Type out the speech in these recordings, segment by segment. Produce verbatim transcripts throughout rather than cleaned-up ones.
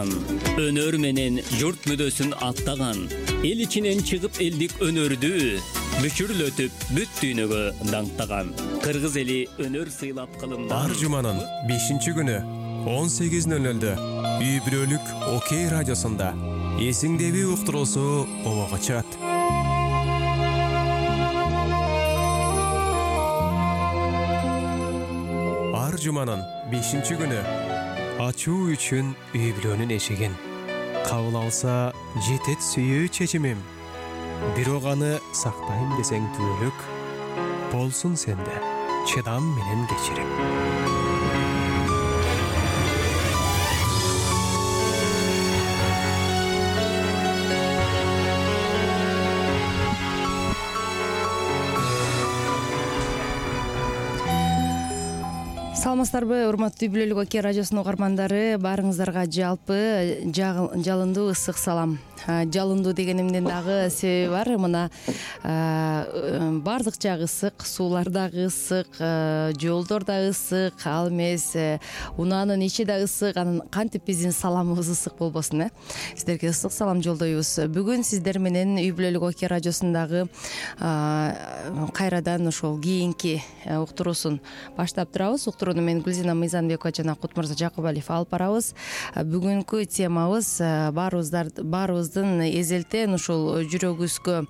Өнөр менен журт мүдөсүн аттаган, эл ичинен чыгып элдик өнөрдү бүчүрлөтүп бүт дүйнөгө даңктаган. Кыргыз эли өнөр сыйлап кылымдан. Ар жуманын бешинчи күнү он сегиз нөл нөлдө үй бүлөлүк Окей радиосунда эсиңдеби уктуруусу обого чыгат. Ар жуманын бешинчи күнү ачуу үчүн үй бүлөнүн эшигин кабыл алса жетет сүйүү чечимим. Бирок аны сактайм десең түбөлүк, болсун сенде чыдам менен кечирим. Саламатсыздарбы, урматтуу үй бүлөлүк Окей радиосунун угармандары, баарыңыздарга жалпы жалындуу ысык салам. Жалындуу дегенимдин дагы себеби бар. Мына бардык жагы ысык, суулар дагы ысык, жолдор да ысык, ал эмес унаанын ичи да ысык. Анан кантип биздин саламыбыз ысык болбосун, э? Сиздерге ысык салам жолдойбуз. Бүгүн сиздер менен үй бүлөлүк Окей радиосундагы кайрадан ошол кийинки уктуруусун баштап турабыз. Уктурууну мен Гүлзина Мыйзамбекова жана Кутмырза Жакыбалиев алып барабыз. Бүгүнкү темабыз баарыбыздар баарыбыздын эзелтен ушул жүрөгүбүзгө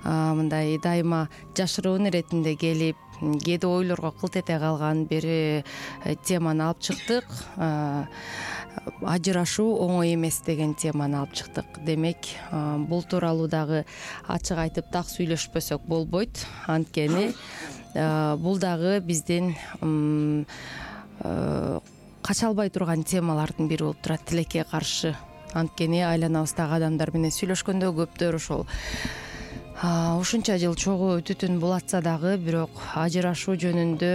мындай дайыма жашыруун иретинде келип, кээде ойлорго кылт эте калган бир теманы алып чыктык. Ажырашуу оңой эмес деген теманы алып чыктык. Демек, бул тууралуу дагы ачык айтып так сүйлөшпөсөк болбойт. Анткени бул дагы биздин кача албай турган темалардын бири болуп турат, тилекке каршы. Анткени айланабыздагы адамдар менен сүйлөшкөндө көптөр ошол ушунча жыл чогуу түтүн булатса дагы, бирок ажырашуу жөнүндө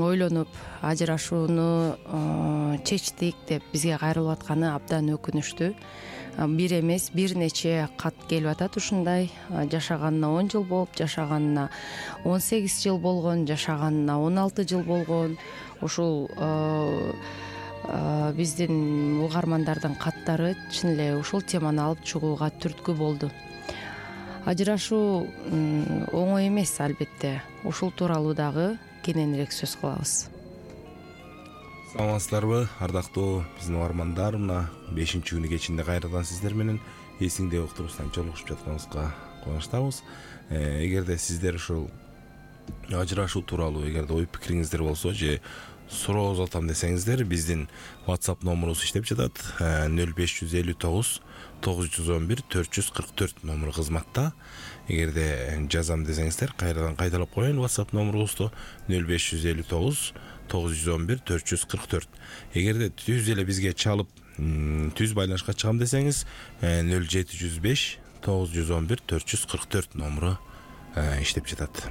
ойлонуп, ажырашууну чечтик деп бизге кайрылып атканы абдан өкүнүчтүү. Бир эмес, бир нече кат келип атат. Ушундай жашаганына он жыл болуп, жашаганына он сегиз жыл болгон, жашаганына он алты жыл болгон. Ушул биздин угармандардын каттары чын эле ушул теманы алып чыгууга түрткү болду. Ажырашуу оңой эмес, албетте. Ушул тууралуу дагы кененирээк сөз кылабыз. Саламатсыздарбы, ардактуу биздин угармандар, мына бешинчи күнү кечинде кайрадан сиздер менен эсиңде уктуруусунан жолугушуп жатканыбызга кубанычтабыз. Эгерде сиздер ушул ажырашуу тууралуу эгерде ой пикириңиздер болсо же суроо узатам десеңиздер, биздин WhatsApp номурубуз иштеп жатат. нөл беш жүз элүү тогуз тогуз жүз он бир төрт жүз кырк төрт номуру кызматта. Эгерде жазам десеңиздер, кайрадан кайталап коеюн WhatsApp номурубузду нөл беш жүз элүү тогуз тогуз жүз он бир төрт жүз кырк төрт. Эгерде түз эле бизге чалып, түз байланышка чыгам десеңиз, нөл жети жүз беш тогуз жүз он бир төрт жүз кырк төрт номуру иштеп жатат.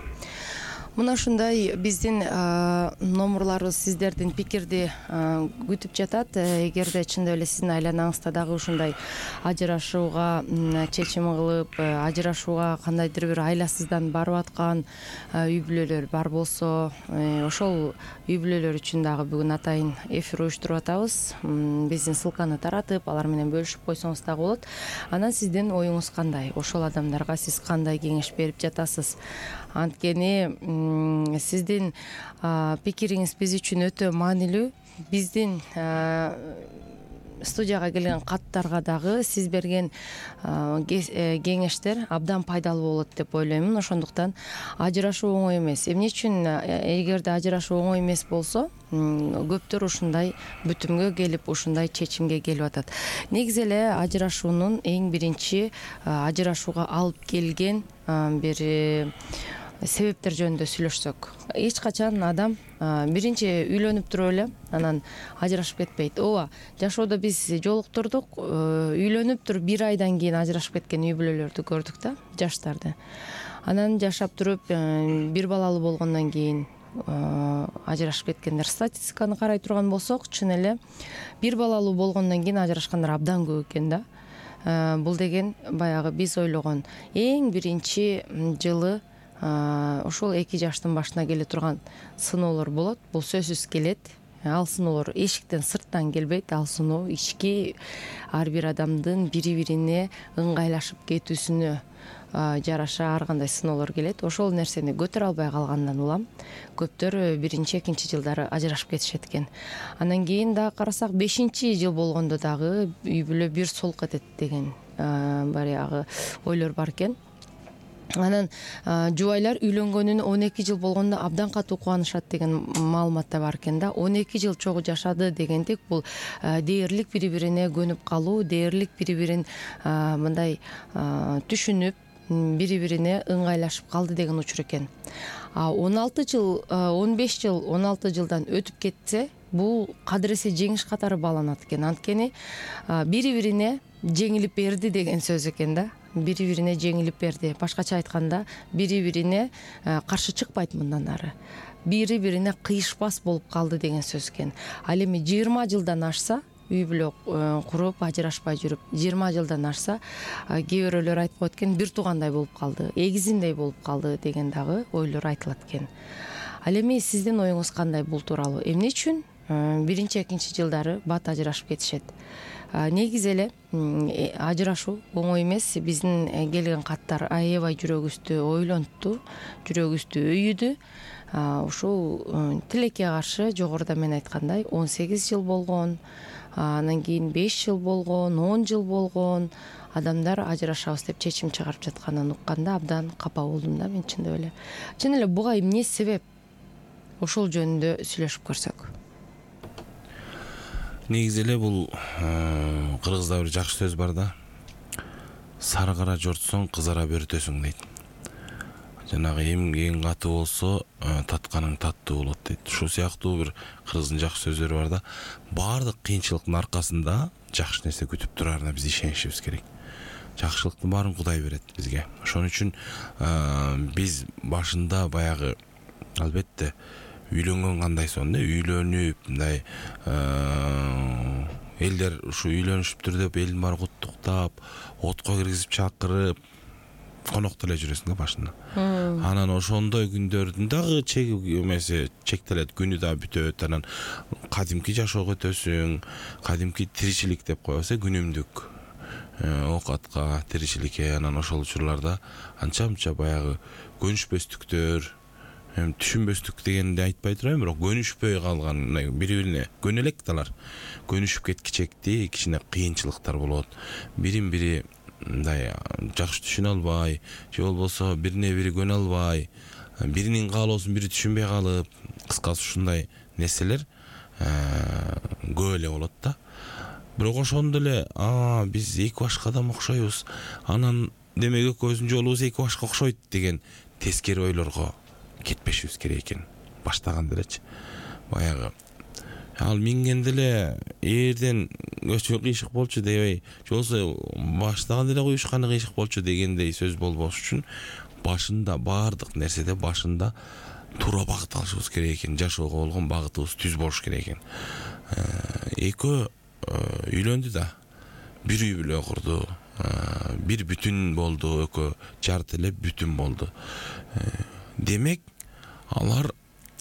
Мына ушундай биздин номурларыбыз сиздердин пикирди күтүп жатат. Эгерде чындап эле сиздин айланаңызда дагы ушундай ажырашууга чечим кылып, ажырашууга кандайдыр бир айласыздан барып аткан үй бүлөлөр бар болсо, ошол үй бүлөлөр үчүн дагы бүгүн атайын эфир уюштуруп атабыз. Биздин ссылканы таратып, алар менен бөлүшүп койсоңуз дагы болот. Анан сиздин оюңуз кандай? Ошол адамдарга сиз кандай кеңеш берип жатасыз? Анткени сиздин пикириңиз биз үчүн өтө маанилүү. Биздин студияга келген каттарга дагы сиз берген кеңештер абдан пайдалуу болот деп ойлоймун. Ошондуктан ажырашуу оңой эмес. Эмне үчүн эгерде ажырашуу оңой эмес болсо, көптөр ушундай бүтүмгө келип, ушундай чечимге келип атат. Негизи эле ажырашуунун эң биринчи ажырашууга алып келген бир себептер жөнүндө сүйлөшсөк, эч качан адам биринчи үйлөнүп туруп эле анан ажырашып кетпейт. Ооба, жашоодо биз жолуктурдук, үйлөнүп туруп бир айдан кийин ажырашып кеткен үй бүлөлөрдү көрдүк да, жаштарды. Анан жашап туруп бир балалуу болгондон кийин ажырашып кеткендер. Статистиканы карай турган болсок, чын эле бир балалуу болгондон кийин ажырашкандар абдан көп экен да. Бул деген баягы биз ойлогон эң биринчи жылы ошол эки жаштын башына келе турган сыноолор болот. Бул сөзсүз келет. ал сыноолор эшиктен сырттан келбейт, ал сыноо ички ар бир адамдын бири бирине ыңгайлашып кетүүсүнө жараша ар кандай сыноолор келет. Ошол нерсени көтөрө албай калгандан улам көптөр биринчи экинчи жылдары ажырашып кетишет экен. Анан кийин дагы карасак бешинчи жыл болгондо дагы үй бүлө бир солук этет деген баягы ойлор бар экен. Анан жубайлар үйлөнгөнүнө он эки жыл болгондо абдан катуу кубанышат деген маалымат да бар экен да. он эки жыл чогуу жашады дегендик бул дээрлик бири бирине көнүп калуу, дээрлик бири бирин мындай түшүнүп бири бирине ыңгайлашып калды деген учур экен. он алты жыл, он беш жыл, он алты жылдан өтүп кетсе, бул кадыресе жеңиш катары бааланат экен. Анткени бири бирине жеңилип берди деген сөз экен да. Бири бирине жеңилип берди. Башкача айтканда, бири бирине каршы чыкпайт мындан ары. Бири бирине кыйышпас болуп калды деген сөз экен. Ал эми жыйырма жылдан ашса, үй бүлө куруп ажырашпай жүрүп жыйырма жылдан ашса, кээ бирөөлөр айтып коет экен, бир туугандай болуп калды, эгизиндей болуп калды деген дагы ойлор айтылат экен. Ал эми сиздин оюңуз кандай бул тууралуу? Эмне үчүн биринчи экинчи жылдары бат ажырашып кетишет? Негизи эле ажырашуу оңой эмес. Биздин келген каттар аябай жүрөгүбүздү ойлонтту, жүрөгүбүздү өйүдү. Ушул тилекке каршы жогоруда мен айткандай он сегиз жыл болгон, анан кийин беш жыл болгон, он жыл болгон адамдар ажырашабыз деп чечим чыгарып жатканын укканда абдан капа болдум да мен чындап эле. Чын эле буга эмне себеп? Ошол жөнүндө сүйлөшүп көрсөк. Негизи эле бул кыргызда бир жакшы сөз бар да. Сары кара жортсоң кызара бөртөсүң дейт. Жанагы эмгең катуу болсо, татканың таттуу болот дейт. Ушул сыяктуу бир кыргыздын жакшы сөздөрү бар да. Баардык кыйынчылыктын аркасында жакшы нерсе күтүп турарына биз ишенишибиз керек. Жакшылыктын баарын Кудай берет бизге. Ошон үчүн биз башында баягы албетте үйлөнгөн кандай сонда үйлөнүп мындай элдер ушу үйлөнүшүптүр деп элдин баары куттуктап, отко киргизип чакырып конокто эле жүрөсүң да башында. Анан ошондой күндөрдүн дагы чеги эмеси чектелет, күнү да бүтөт. Анан кадимки жашоого өтөсүң, кадимки тиричилик деп коебуз, күнүмдүк оокатка, тиричиликке. Анан ошол учурларда анча-мынча баягы көнүшпөстүктөр, түшүнбөстүк дегенди айтпай турайын, бирок көнүшпөй калган, бири бирине көнө элек далар. Көнүшүп кеткичекти кичине кыйынчылыктар болот. Бирин бири мындай жакшы түшүнө албай, же болбосо бирине бири көнө албай, биринин каалоосун бири түшүнбөй калып, кыскасы ушундай нерселер көп эле болот да. Бирок ошондо эле, а биз эки башка адам окшойбуз, анан демек экөөбүздүн жолубуз эки башка окшойт деген тескери ойлорго кетпешибиз керек экен. Баштаганда элечи. Баягы ал мингенде эле эрден өчө кыйшык болчу дебей, же болбосо баштаганда эле куюшканы кыйшык болчу дегендей сөз болбош үчүн башында баардык нерседе башында туура багыт алышыбыз керек экен. Жашоого болгон багытыбыз түз болуш керек экен. Экөө үйлөндү да, бир үй бүлө курду, бир бүтүн болду, экөө жарты эле бүтүн болду. Демек алар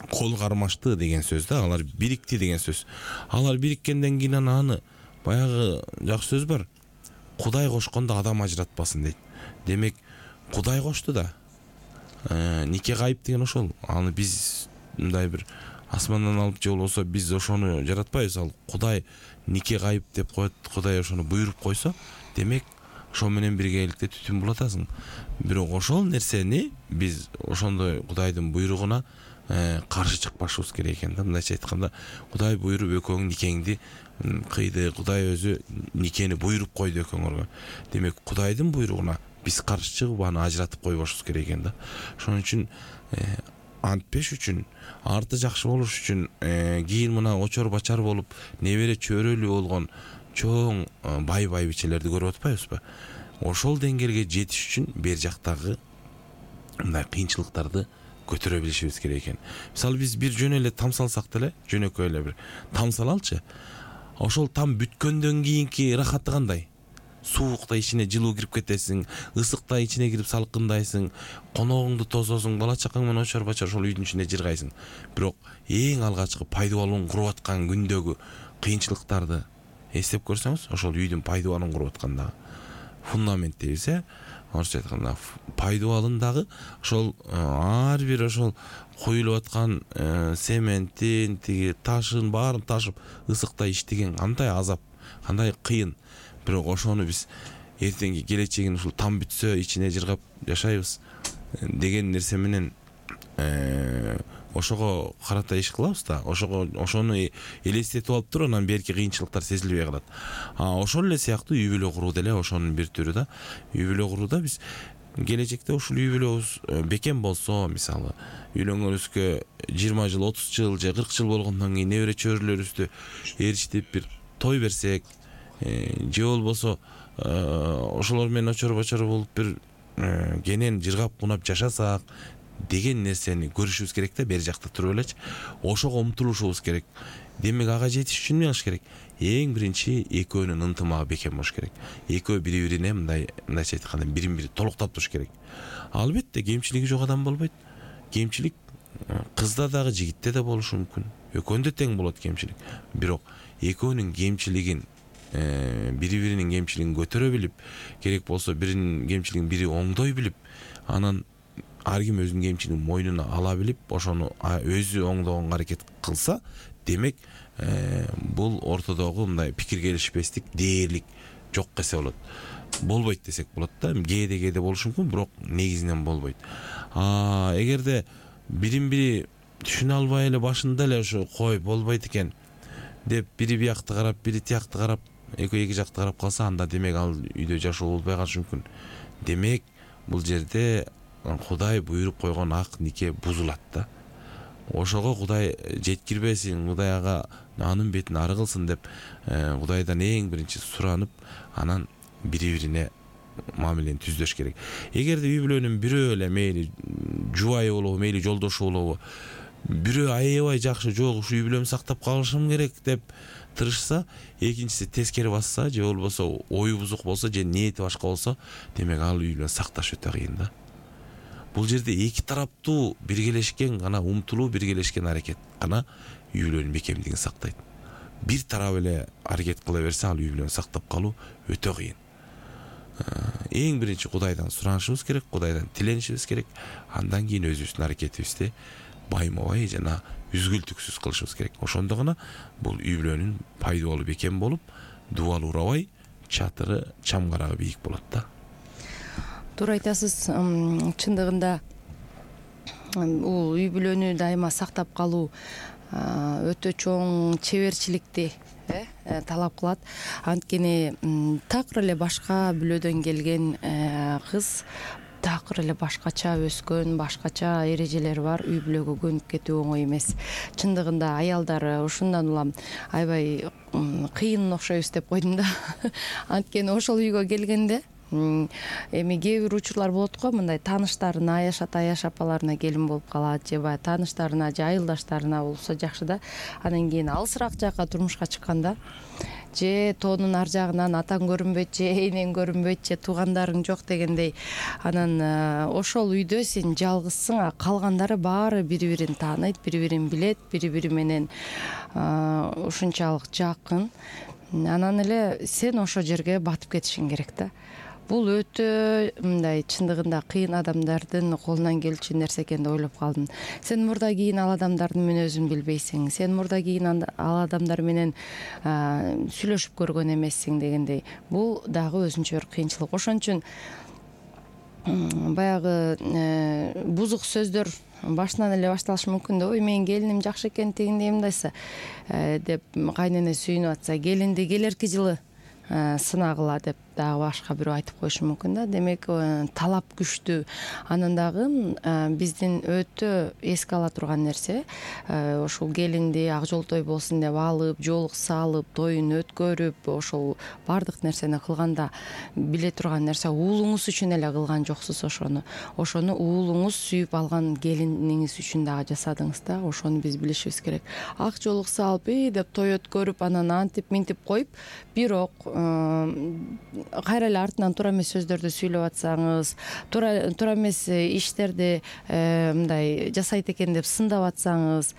кол кармашты деген сөз да, алар бирикти деген сөз. Алар бириккенден кийин аны баягы жакшы сөз бар. Кудай кошкондо адам ажыратпасын дейт. Демек Кудай кошту да. Нике кайып деген ошол. Аны биз мындай бир асмандан алып же болбосо биз ошону жаратпайбыз. Ал Кудай нике кайып деп коет, Кудай ошону буйруп койсо, демек ошол менен биргеликте түтүн булатасың. Бирок ошол нерсени биз ошондой Кудайдын буйругуна каршы чыкпашыбыз керек экен да. Мындайча айтканда, Кудай буйруп экөөң никеңди кыйды, Кудай өзү никени буйруп койду экөөңөргө. Демек Кудайдын буйругуна биз каршы чыгып аны ажыратып койбошубуз керек экен да. Ошон үчүн антпеш үчүн, арты жакшы болуш үчүн, кийин мына очор бачар болуп, небере чөйрөлүү болгон чоң бай байбичелерди көрүп атпайбызбы? Ошол деңгээлге жетиш үчүн бер жактагы мындай кыйынчылыктарды көтөрө билишибиз керек экен. Мисалы биз бир жөн эле там салсак деле, жөнөкөй эле бир там салалчы. Ошол там бүткөндөн кийинки рахаты кандай? Суукта ичине жылуу кирип кетесиң, ысыкта ичине кирип салкындайсың, коногуңду тососуң, бала чакаң менен очор бачар ошол үйдүн ичинде жыргайсың. Бирок эң алгачкы пайдубалын куруп аткан күндөгү кыйынчылыктарды эстеп көрсөңүз, ошол үйдүн пайдубалын куруп аткандагы фундамент дейбиз, э орусча айтканда пайдубалындагы ошол ар бир ошол куюлуп аткан сементтин, тиги ташын баарын ташып ысыкта иштеген кандай азап, кандай кыйын. Бирок ошону биз эртеңки келечегин ушул там бүтсө ичине жыргап жашайбыз деген нерсе менен ошого карата иш кылабыз да, ошого ошону элестетип алып туруп анан берки кыйынчылыктар сезилбей калат. А ошол эле сыяктуу үй бүлө куруу деле ошонун бир түрү да. Үй бүлө курууда биз келечекте ушул үй бүлөбүз бекем болсо, мисалы үйлөнгөнүбүзгө жыйырма жыл, отуз жыл же кырк жыл болгондон кийин небере чөбүрөлөрүбүздү ээрчитип бир той берсек, же болбосо ошолор менен очор бочор болуп бир кенен жыргап кунап жашасак деген нерсени көрүшүбүз керек да, бери жакта туруп элечи. Ошого умтулушубуз керек. Демек ага жетиш үчүн эмне кылыш керек? Эң биринчи экөөнүн ынтымагы бекем болуш керек. Экөө бири-бирине мындай мындайча айтканда бирин-бири толуктап туруш керек. Албетте кемчилиги жок адам болбойт. Кемчилик кызда дагы, жигитте да болушу мүмкүн. Экөөндө тең болот кемчилик. Бирок экөөнүн кемчилигин бири-биринин кемчилигин көтөрө билип, керек болсо биринин кемчилигин бири оңдой билип, анан ар ким өзүнүн кемчилигин мойнуна ала билип, ошону өзү оңдогонго аракет кылса, демек бул ортодогу мындай пикир келишпестик, дээрлик жок эсе болот. Болбойт десек болот да. Кээде кээде болушу мүмкүн, бирок негизинен болбойт. А эгерде бирин-бири түшүнө албай эле башында эле ошо кой болбойт экен деп бири биякты карап, бири тиякты карап, экөө эки жакты карап калса, анда демек ал үйдө жашоо болбой калышы мүмкүн. Демек бул жерде Кудай буйруп койгон ак нике бузулат да. Ошого Кудай жеткирбесин, Кудай ага анын бетин ары кылсын деп Кудайдан эң биринчи суранып, анан бири-бирине мамилени түздөш керек. Эгерде үй бүлөнүн бирөө эле мейли жубайы болобу, мейли жолдошу болобу, бирөө аябай жакшы, жок ушу үй бүлөмдү сактап калышым керек деп тырышса, экинчиси тескери басса, же болбосо ою бузук болсо, же ниети башка болсо, демек ал үй бүлөнү сакташ өтө кыйын да. Бул жерде эки тараптуу биргелешкен гана умтулуу, биргелешкен аракет гана үй бүлөнүн бекемдигин сактайт. Бир тарап эле аракет кыла берсе, ал үй бүлөнү сактап калуу өтө кыйын. Эң биринчи Кудайдан суранышыбыз керек, Кудайдан тиленишибиз керек. Андан кийин өзүбүздүн аракетибизди байма-бай жана үзгүлтүксүз кылышыбыз керек. Ошондо гана бул үй бүлөнүн пайдубалы бекем болуп, дубалы урабай, чатыры, чамгарагы бийик болот да. Туура айтасыз. Чындыгында бул үй бүлөнү дайыма сактап калуу өтө чоң чеберчиликти талап кылат. Анткени такыр эле башка бүлөдөн келген кыз, такыр эле башкача өскөн, башкача эрежелери бар үй бүлөгө көнүп кетүү оңой эмес. Чындыгында аялдар ушундан улам аябай кыйын окшойбуз деп койдум да. Анткени ошол үйгө келгенде эми кээ бир учурлар болот го, мындай тааныштарына, аяшат аяш апаларына келин болуп калат, же баягы тааныштарына, же айылдаштарына болсо жакшы да. Анан кийин алысыраак жакка турмушка чыкканда, же тоонун ар жагынан атаң көрүнбөйт, же энең көрүнбөйт, же туугандарың жок дегендей, анан ошол үйдө сен жалгызсың, а калгандары баары бири-бирин тааныйт, бири-бирин билет, бири-бири менен ушунчалык жакын. Анан эле сен ошол жерге батып кетишиң керек да. Бул өтө мындай чындыгында кыйын адамдардын колунан келчү нерсе экен деп ойлоп калдым. Сен мурда кийин ал адамдардын мүнөзүн билбейсиң, сен мурда кийин ал адамдар менен сүйлөшүп көргөн эмессиң дегендей. Бул дагы өзүнчө бир кыйынчылык. Ошон үчүн баягы бузук сөздөр башынан эле башталышы мүмкүн да. Ой, менин келиним жакшы экен, тигиндей мындайса деп кайнене сүйүнүп атса, келинди келерки жылы сынагыла деп дагы башка бирөө айтып коюшу мүмкүн да. Демек талап күчтүү. Анан дагы биздин өтө эске ала турган нерсе, ошол келинди ак жол той болсун деп алып, жоолук салып, тоюн өткөрүп, ошол бардык нерсени кылганда биле турган нерсе, уулуңуз үчүн эле кылган жоксуз ошону. Ошону уулуңуз сүйүп алган келиниңиз үчүн дагы жасадыңыз да. Ошону биз билишибиз керек. Ак жоолук салып, и деп той өткөрүп, анан антип минтип коюп, бирок кайра эле артынан туура эмес сөздөрдү сүйлөп атсаңыз, туура туура эмес иштерди мындай жасайт экен деп сындап атсаңыз,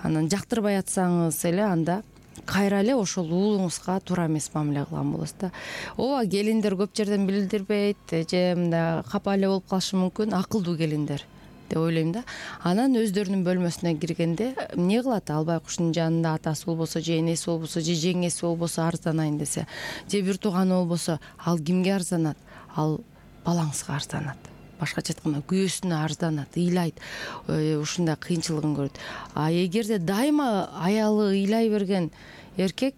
анан жактырбай атсаңыз эле анда кайра эле ошол уулуңузга туура эмес мамиле кылган болосуз да. Ооба, келиндер көп жерден билдирбейт же мындай капа эле болуп калышы мүмкүн, акылдуу келиндер деп ойлойм да. Анан өздөрүнүн бөлмөсүнө киргенде эмне кылат? Ал байкуштун жанында атасы болбосо же энеси болбосо же жеңеси болбосо арызданайын десе, же бир тууганы болбосо, ал кимге арызданат? Ал балаңызга арызданат. Башкача айтканда күйөөсүнө арызданат, ыйлайт, ушундай кыйынчылыгын көрөт. А эгерде дайыма аялы ыйлай берген эркек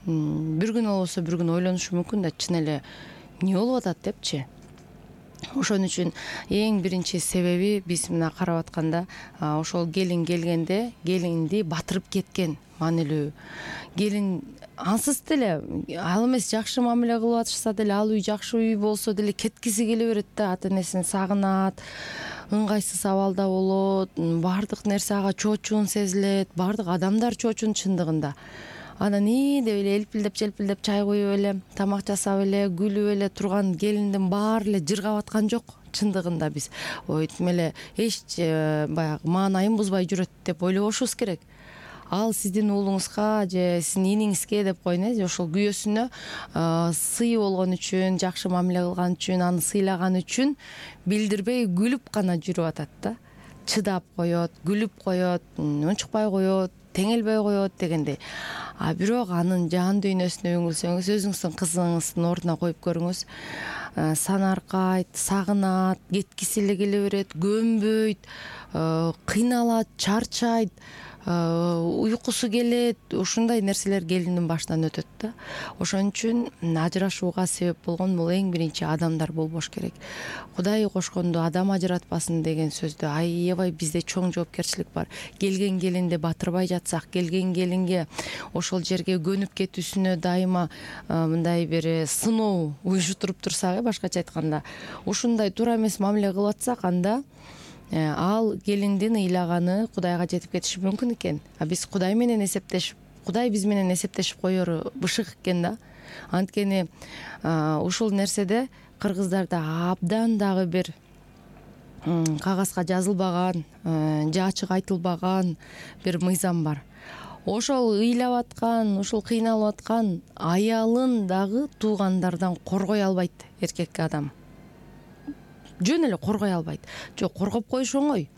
бир күн болбосо бир күн ойлонушу мүмкүн да, чын эле эмне болуп атат депчи. Ошон үчүн эң биринчи себеби биз мына карап атканда ошол келин келгенде келинди батырып кеткен маанилүү. Келин ансыз деле ал эмес жакшы мамиле кылып атышса деле, ал үй жакшы үй болсо деле кеткиси келе берет да, ата энесин сагынат, ыңгайсыз абалда болот, баардык нерсе ага чоочун сезилет, баардык адамдар чоочун чындыгында. Анан и деп эле элпилдеп желпилдеп чай куюп эле, тамак жасап эле, күлүп эле турган келиндин баары эле жыргап аткан жок. Чындыгында биз ой тим эле эч баягы маанайын бузбай жүрөт деп ойлобошубуз керек. Ал сиздин уулуңузга же сиздин иниңизге деп коеюн, э, ошол күйөөсүнө сый болгон үчүн, жакшы мамиле кылган үчүн, аны сыйлаган үчүн билдирбей күлүп гана жүрүп атат да. Чыдап коет, күлүп коет, унчукпай коет, теңелбей коет дегендей. А бирок анын жан дүйнөсүнө үңүлсөңүз, өзүңүздүн кызыңыздын ордуна коюп көрүңүз. Санаркайт, сагынат, кеткиси эле келе берет, көнбөйт, кыйналат, чарчайт, уйкусу келет, ушундай нерселер келиндин башынан өтөт да. Ошон үчүн ажырашууга себеп болгон бул эң биринчи адамдар болбош керек. Кудай кошконду адам ажыратпасын деген сөздү аябай бизде чоң жоопкерчилик бар. Келген келинди батырбай жатсак, келген келинге ошол жерге көнүп кетүүсүнө дайыма мындай бир сыноо уюштуруп турсак, башкача айтканда, ушундай туура эмес мамиле кылып атсак, анда ал келиндин ыйлаганы Кудайга жетип кетиши мүмкүн экен. А биз Кудай менен эсептешип, Кудай биз менен эсептешип коеру бышык экен да. Анткени ушул нерседе кыргыздарда абдан дагы бир кагазга жазылбаган, же ачык айтылбаган бир мыйзам бар. Ошол ыйлап аткан, ушул кыйналып аткан аялын дагы туугандардан коргой албайт эркек адам. Жөн эле коргой албайт. Жок, коргоп коюш оңой,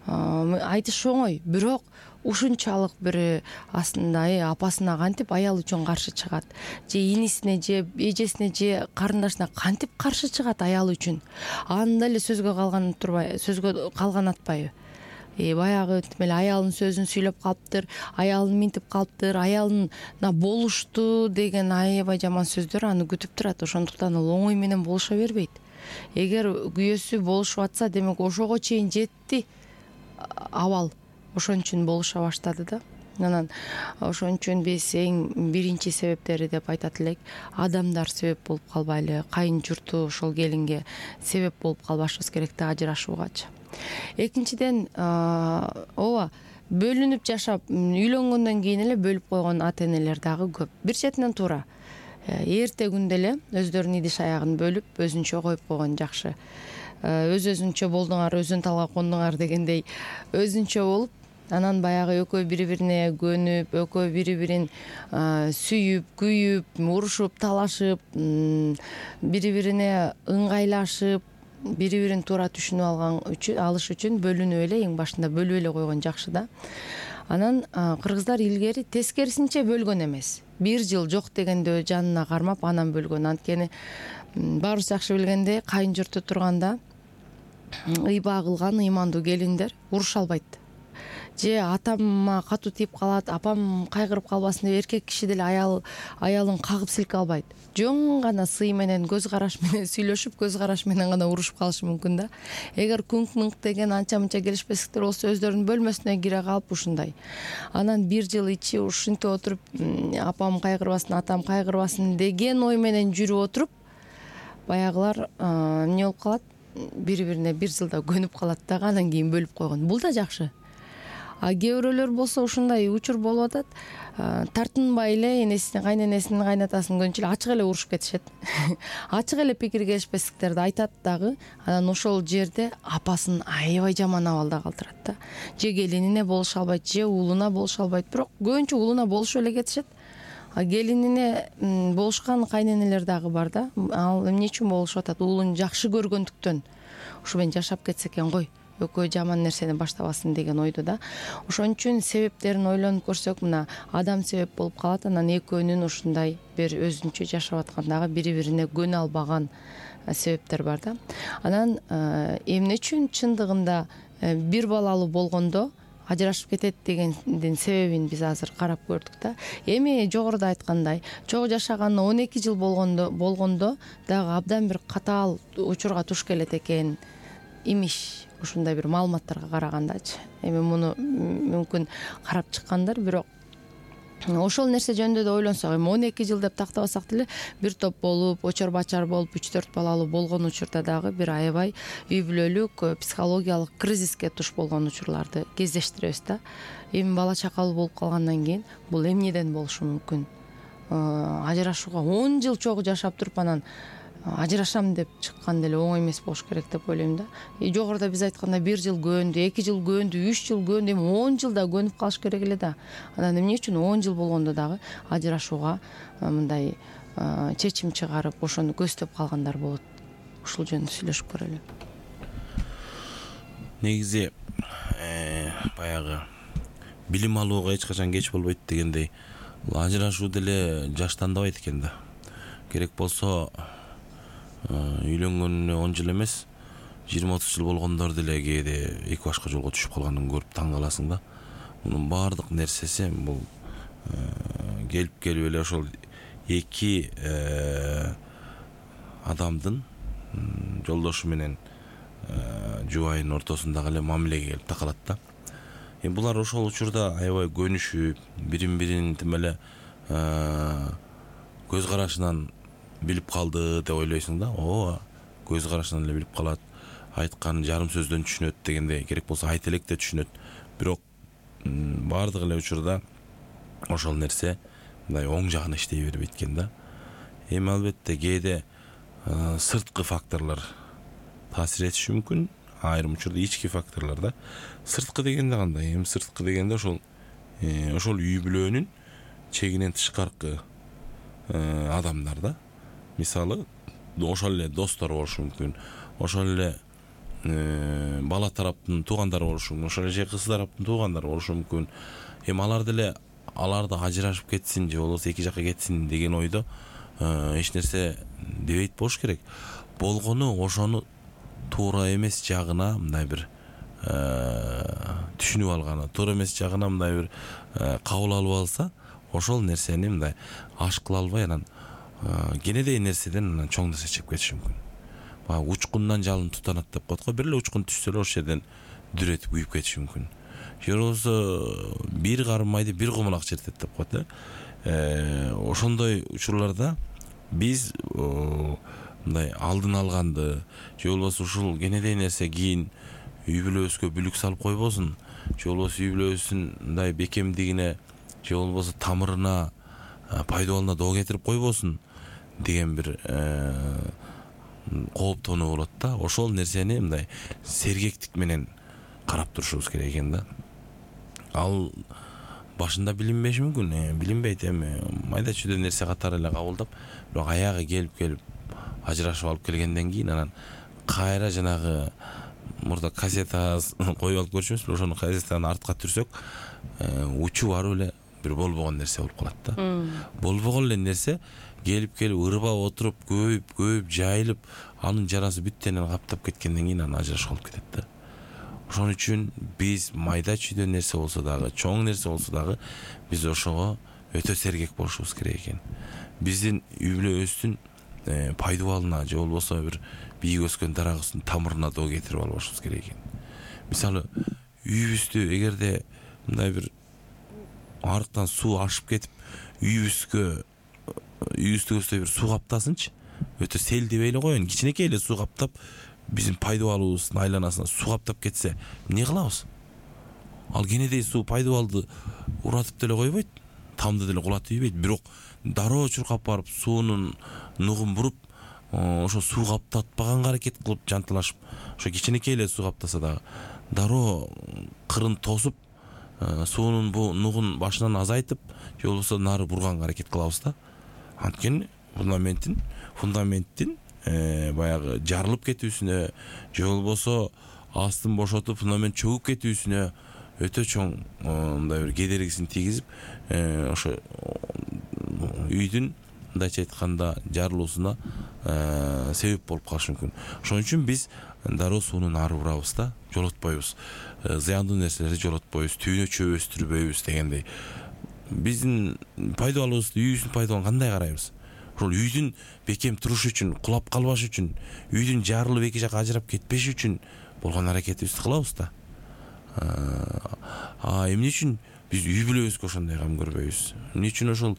айтыш оңой, бирок ушунчалык бир астында апасына кантип аял үчүн каршы чыгат, же инисине же эжесине же карындашына кантип каршы чыгат аял үчүн. Анда эле сөзгө калган турбай, сөзгө калган атпайбы? Э баягы тим эле аялынын сөзүн сүйлөп калыптыр, аялын минтип калыптыр, аялына болушту деген аябай жаман сөздөр аны күтүп турат. Ошондуктан ал оңой менен болуша бербейт. Эгер күйөөсү болушуп атса, демек ошого чейин жетти абал. Ошон үчүн болуша баштады да. Анан ошон үчүн биз эң биринчи себептери деп айтат элек, адамдар себеп болуп калбайлы, кайын журту ошол келинге себеп болуп калбашыбыз керек да ажырашуугачы. Экинчиден, ооба, бөлүнүп жашап, үйлөнгөндөн кийин эле бөлүп койгон ата энелер дагы көп. Бир четинен туура. Эрте күндө эле өздөрүнүн идиш аягын бөлүп, өзүнчө коюп койгон жакшы. Өз-өзүнчө болдуңар, өзүн талга кондуңар дегендей өзүнчө болуп, анан баягы экөө бири-бирине көнүп, экөө бири-бирин сүйүп, күйүп, урушуп, талашып, бири-бирине ыңгайлашып, бири-бирин туура түшүнүп алган үчүн, алыш үчүн бөлүнүп эле эң башында бөлүп эле койгон жакшы да. Анан кыргыздар илгери тескерисинче бөлгөн эмес. Бир жыл жок дегенде жанына кармап анан бөлгөн. Анткени баарыбыз жакшы билгендей, кайын журту турганда ыйба кылган ыймандуу келиндер уруша албайт. Же атама катуу тийип калат, апам кайгырып калбасын деп эркек киши деле аял аялын кагып силке албайт. Жөн гана сый менен, көз караш менен сүйлөшүп, көз караш менен гана урушуп калышы мүмкүн да. Эгер күңк-мыңк деген анча-мынча келишпестиктер болсо, өздөрүнүн бөлмөсүнө кире калып ушундай. Анан бир жыл ичи ушинтип отуруп, апам кайгырбасын, атам кайгырбасын деген ой менен жүрүп отуруп, баягылар эмне болуп калат? Бири-бирине бир жылда көнүп калат дагы, анан кийин бөлүп койгон. Бул да жакшы. А кээ бирөөлөр болсо ушундай учур болуп атат. тартынбай эле энесин кайненесинин кайнатасын көбүнчө эле ачык эле урушуп кетишет. Ачык эле пикир келишпестиктерди айтат дагы, анан ошол жерде апасын аябай жаман абалда калтырат да. Же келинине болуша албайт, же уулуна болуша албайт, бирок көбүнчө уулуна болушуп эле кетишет. Келинине болушкан кайненелер дагы бар да. Ал эмне үчүн болушуп атат? Уулун жакшы көргөндүктөн ушу менен жашап кетсе экен гой, экөө жаман нерсени баштабасын деген ойдо да. Ошон үчүн себептерин ойлонуп көрсөк, мына адам себеп болуп калат, анан экөөнүн ушундай бир өзүнчө жашап аткандагы бири-бирине көнө албаган себептер бар да. Анан эмне үчүн чындыгында бир балалуу болгондо ажырашып кетет дегендин себебин биз азыр карап көрдүк да. Эми жогоруда айткандай, чогуу жашаганына он эки жыл болгондо болгондо дагы абдан бир катаал учурга туш келет экен имиш, ушундай бир маалыматтарга карагандачы. Эми муну мүмкүн карап чыккандар, бирок ошол нерсе жөнүндө да ойлонсок, эми он эки жыл деп тактабасак деле бир топ болуп, очор бачар болуп, үч төрт балалуу болгон учурда дагы бир аябай үй бүлөлүк психологиялык кризиске туш болгон учурларды кездештиребиз да. Эми бала чакалуу болуп калгандан кийин бул эмнеден болушу мүмкүн? Ажырашууга он жыл чогуу жашап туруп анан ажырашам деп чыккан деле оңой эмес болуш керек деп ойлойм да. Жогоруда биз айткандай бир жыл көөндү, эки жыл көөндү, үч жыл көөндү, эми он жылда көнүп калыш керек эле да. Анан эмне үчүн он жыл болгондо дагы ажырашууга мындай чечим чыгарып, ошону көздөп калгандар болот? Ушул жөнүндө сүйлөшүп көрөлү. Негизи баягы билим алууга эч качан кеч болбойт дегендей, ажырашуу деле жаштандабайт экен да. Керек болсо үйлөнгөнүнө он жыл эмес, жыйырма отуз жыл болгондор деле кээде эки башка жолго түшүп калганын көрүп таң каласың да. Мунун баардык нерсеси бул келип келип эле ошол эки адамдын жолдошу менен жубайынын ортосундагы эле мамилеге келип такалат да. Эми булар ошол учурда аябай көнүшүп, бирин-бирин тим эле көз карашынан билип калды деп ойлойсуң да. Ооба, көз карашынан эле билип калат, айткан жарым сөздөн түшүнөт дегендей, керек болсо айт элек деп түшүнөт. Бирок баардык эле учурда ошол нерсе мындай оң жагына иштей бербейт экен да. Эми албетте кээде сырткы факторлор таасир этиши мүмкүн, айрым учурда ички факторлор да. Сырткы дегенде кандай? Эми сырткы дегенде ошол ошол үй бүлөнүн чегинен тышкаркы адамдар да. Мисалы, ошол эле достор болушу мүмкүн, ошол эле бала тараптын туугандары болушу мүмкүн, ошол эле кыз тараптын туугандары болушу мүмкүн. Эми алар деле аларды ажырашып кетсин же болбосо эки жакка кетсин деген ойдо эч нерсе дебейт болуш керек. Болгону ошону туура эмес жагына мындай бир түшүнүп алганы, туура эмес жагына мындай бир кабыл алып алса, ошол нерсени мындай аш кыла албай анан кенедей нерседен анан чоң нерсе чыгып кетиши мүмкүн. Баягы учкундан жалын тутанат деп коет го, бир эле учкун түшсө эле ошол жерден дүрөтүп күйүп кетиши мүмкүн. Же болбосо бир карым майды бир кумалак чертет деп коет да. Ошондой учурларда биз мындай алдын алганды, же болбосо ушул кенедей нерсе кийин үй бүлөбүзгө бүлүк салып койбосун, же болбосо үй бүлөбүздүн мындай бекемдигине, же болбосо тамырына, пайдабалына доо кетирип койбосун деген бир кооптонуу болот да. Ошол нерсени мындай сергектик менен карап турушубуз керек экен да. Ал башында билинбеши мүмкүн, билинбейт, эми майда чүйдө нерсе катары эле кабылдап, бирок аягы келип келип ажырашып алып келгенден кийин анан кайра жанагы мурда кассета коюп алып көрчүбүз, ошону кассетаны артка түрсөк, учу барып эле бир болбогон нерсе болуп калат да. Болбогон эле нерсе келип келип ырбап отуруп, көбөйүп, көбөйүп, жайылып, анын жарасы бүттенен каптап кеткенден кийин анан ажырашып калып кетет да. Ошон үчүн биз майда чүйдө нерсе болсо дагы, чоң нерсе болсо дагы биз ошого өтө сергек болушубуз керек экен. Биздин үй бүлөбүздүн пайдабалына же болбосо бир бийик өскөн дарагыбыздын тамырына доо кетирип албашыбыз керек экен. Мисалы, үйүбүздү эгерде мындай бир арыктан суу ашып кетип, үйүбүзгө үйүбүздү көздөй бир суу каптасынчы, өтө селдебей эле коеюн, кичинекей эле суу каптап, биздин пайдабалыбыздын айланасына суу каптап кетсе, эмне кылабыз? Ал кенедей суу пайдабалды уратып деле койбойт. тамды деле кулатып ийбейт, бирок дароо чуркап барып суунун нугун буруп ошо суу каптатпаганга аракет кылып жантылашып, ошо кичинекей эле суу каптаса дагы дароо кырын тосуп суунун бу нугун башынан азайтып, же болбосо нары бурганга аракет кылабыз да. Анткени фундаменттин фундаменттин баягы жарылып кетүүсүнө же болбосо астын бошотуп фундамент чөгүп кетүүсүнө өтө чоң мындай бир кедергисин тийгизип, ошо үйдүн мындайча айтканда жарылуусуна себеп болуп калышы мүмкүн. Ошон үчүн биз дароо сууну нары бурабыз да, жолотпойбуз. Зыяндуу нерселерди жолотпойбуз, түйүнө чөп өстүрбөйбүз дегендей. Биздин пайдалуубузду, үйүбүздүн пайдалууна кандай карайбыз? Ошол үйдүн бекем турушу үчүн, кулап калбаш үчүн, үйдүн жарылып эки жакка ажырап кетпеши үчүн болгон аракетибизди кылабыз да. А эмне үчүн биз үй бүлөбүзгө ошондой кам көрбөйбүз? Эмне үчүн ошол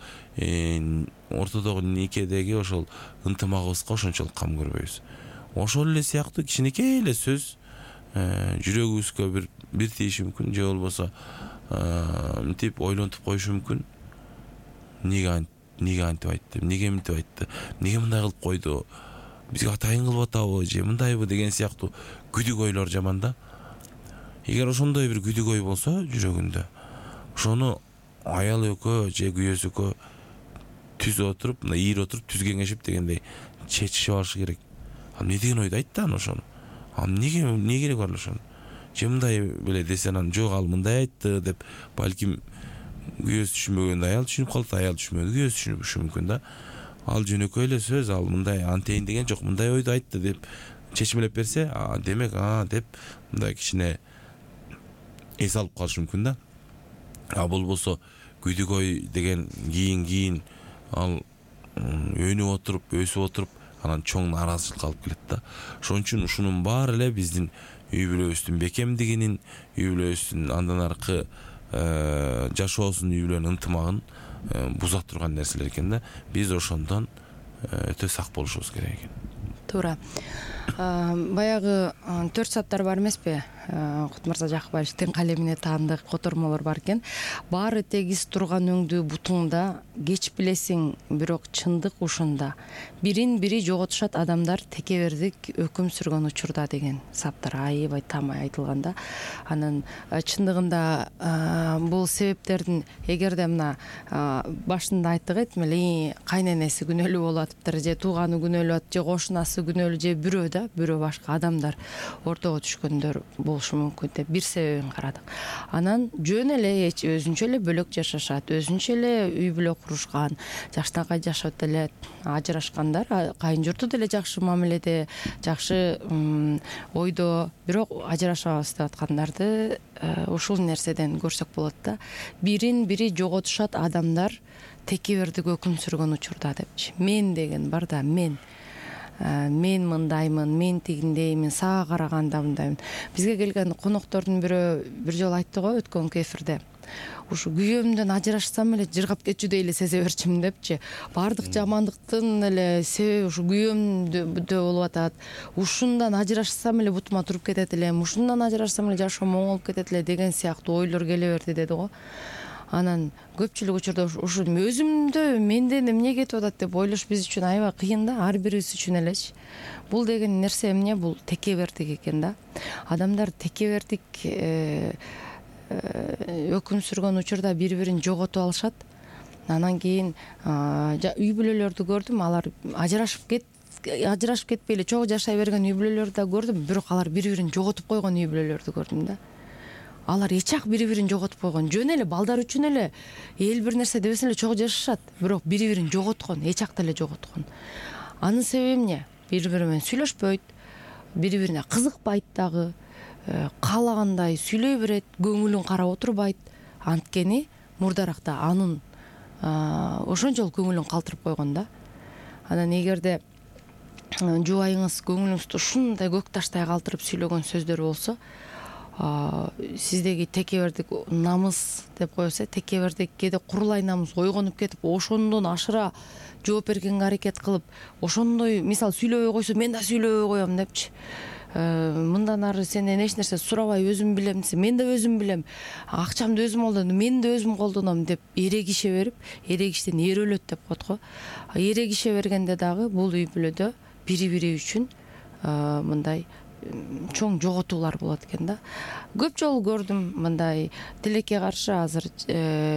ортодогу никедеги ошол ынтымагыбызга ошончолук кам көрбөйбүз? Ошол эле сыяктуу кичинекей эле сөз жүрөгүбүзгө бир бир тийиши мүмкүн, же болбосо мынтип ойлонтуп коюшу мүмкүн. Неге неге антип айтты, неге мынтип айтты, неге мындай кылып койду, бизге атайын кылып атабы, же мындайбы деген сыяктуу күдүк ойлор жаман да. Эгер ошондой бир күдүк ой болсо жүрөгүндө, ошону аял экөө же күйөөсү экөө түз отуруп, мына ийир отуруп түз кеңешип дегендей чечишип алышы керек. А эмне деген ойду айтты аны ошону? А неге эмне керек бар ошону? Же мындай беле десе анан жок ал мындай айтты деп балким күйөөсү түшүнбөгөндө аял түшүнүп калат, аял түшүнбөгөндө күйөөсү түшүнүшү мүмкүн да. Ал жөнөкөй эле сөз, ал мындай антейин деген жок, мындай ойду айтты деп чечимелеп берсе, а демек а деп мындай кичине эс алып калышы мүмкүн да. А болбосо күдүк ой деген кийин кийин ал өнүп отуруп, өсүп отуруп, анан чоң нааразычылыкка алып келет да. Ошон үчүн ушунун баары эле биздин үй бүлөбүздүн бекемдигинин, үй бүлөбүздүн андан аркы жашоосун, үй бүлөнүн ынтымагын буза турган нерселер экен да. Биз ошондон өтө сак болушубуз керек экен. Туура. Баягы төрт саптар бар эмеспи? Кутмырза Жакыбаевдин калемине таандык котормолор бар экен. Баары тегиз турган өңдүү бутуңда, кеч билесиң, бирок чындык ушунда. Бирин бири жоготушат адамдар текебердик өкүм сүргөн учурда деген саптар аябай тамай айтылганда. Анан чындыгында бул себептердин эгерде мына башында айттык этмели, кайненеси күнөөлүү болуп атыптыр, же тууганы күнөөлүү атып, же кошунасы күнөөлүү, же бирөө да, бирөө башка адамдар ортого түшкөндөр болушу мүмкүн деп бир себебин карадык. Анан жөн эле өзүнчө эле бөлөк жашашат, өзүнчө эле үй бүлө курушкан, жаштанкай жашап деле ажырашкандар, кайын журту деле жакшы мамиледе, жакшы ойдо, бирок ажырашабыз деп аткандарды ушул нерседен көрсөк болот да. Бирин бири жоготушат адамдар текебердик өкүм сүргөн учурда депчи. Мен деген бар да, мен мен мындаймын, мен тигиндеймин, сага караганда мындаймын. Бизге келген коноктордун бирөө бир жолу айтты го өткөнкү эфирде. Ушу күйөөмдөн ажырашсам эле жыргап кетчүдөй эле сезе берчимин депчи. Баардык жамандыктын эле себеби ушу күйөөмдө болуп атат. Ушундан ажырашсам эле бутума туруп кетет элем, ушундан ажырашсам эле жашоом оңолуп кетет эле деген сыяктуу ойлор келе берди деди го. Анан көпчүлүк учурда ушу өзүмдө менден эмне кетип атат деп ойлош биз үчүн аябай кыйын да, ар бирибиз үчүн элечи. Бул деген нерсе эмне? Бул текебердик экен да. Адамдар текебердик өкүм сүргөн учурда бири-бирин жоготуп алышат. Анан кийин үй бүлөлөрдү көрдүм, алар ажырашып кет ажырашып кетпей эле чогуу жашай берген үй бүлөлөрдү да көрдүм, бирок алар бири-бирин жоготуп койгон үй бүлөлөрдү көрдүм да. Алар эчак бири-бирин жоготуп койгон. Жөн эле балдар үчүн эле эл бир нерсе дебесин эле чогуу жашашат, бирок бири-бирин жоготкон, эчак деле жоготкон. Анын себеби эмне? Бири-бири менен сүйлөшпөйт, бири-бирине кызыкпайт дагы, каалагандай сүйлөй берет, көңүлүн карап отурбайт. Анткени мурдаракта анын ошончолук көңүлүн калтырып койгон да. Анан эгерде жубайыңыз көңүлүңүздү ушундай көк таштай калтырып сүйлөгөн сөздөр болсо, сиздеги текебердик намыс деп койсо, текебердик кээде курулай намыс ойгонуп кетип, ошондон ашыра жооп бергенге аракет кылып, ошондой мисалы сүйлөбөй койсо мен да сүйлөбөй коем депчи, мындан ары сенден эч нерсе сурабай өзүм билем десе, мен да өзүм билем, акчамды өзүм колдондум, мен да өзүм колдоном деп эрегише берип, эрегиштен эр өлөт деп коет го. Эрегише бергенде дагы бул үй бүлөдө бири бири үчүн мындай чоң жоготуулар болот экен да. Көп жолу көрдүм мындай тилекке каршы азыр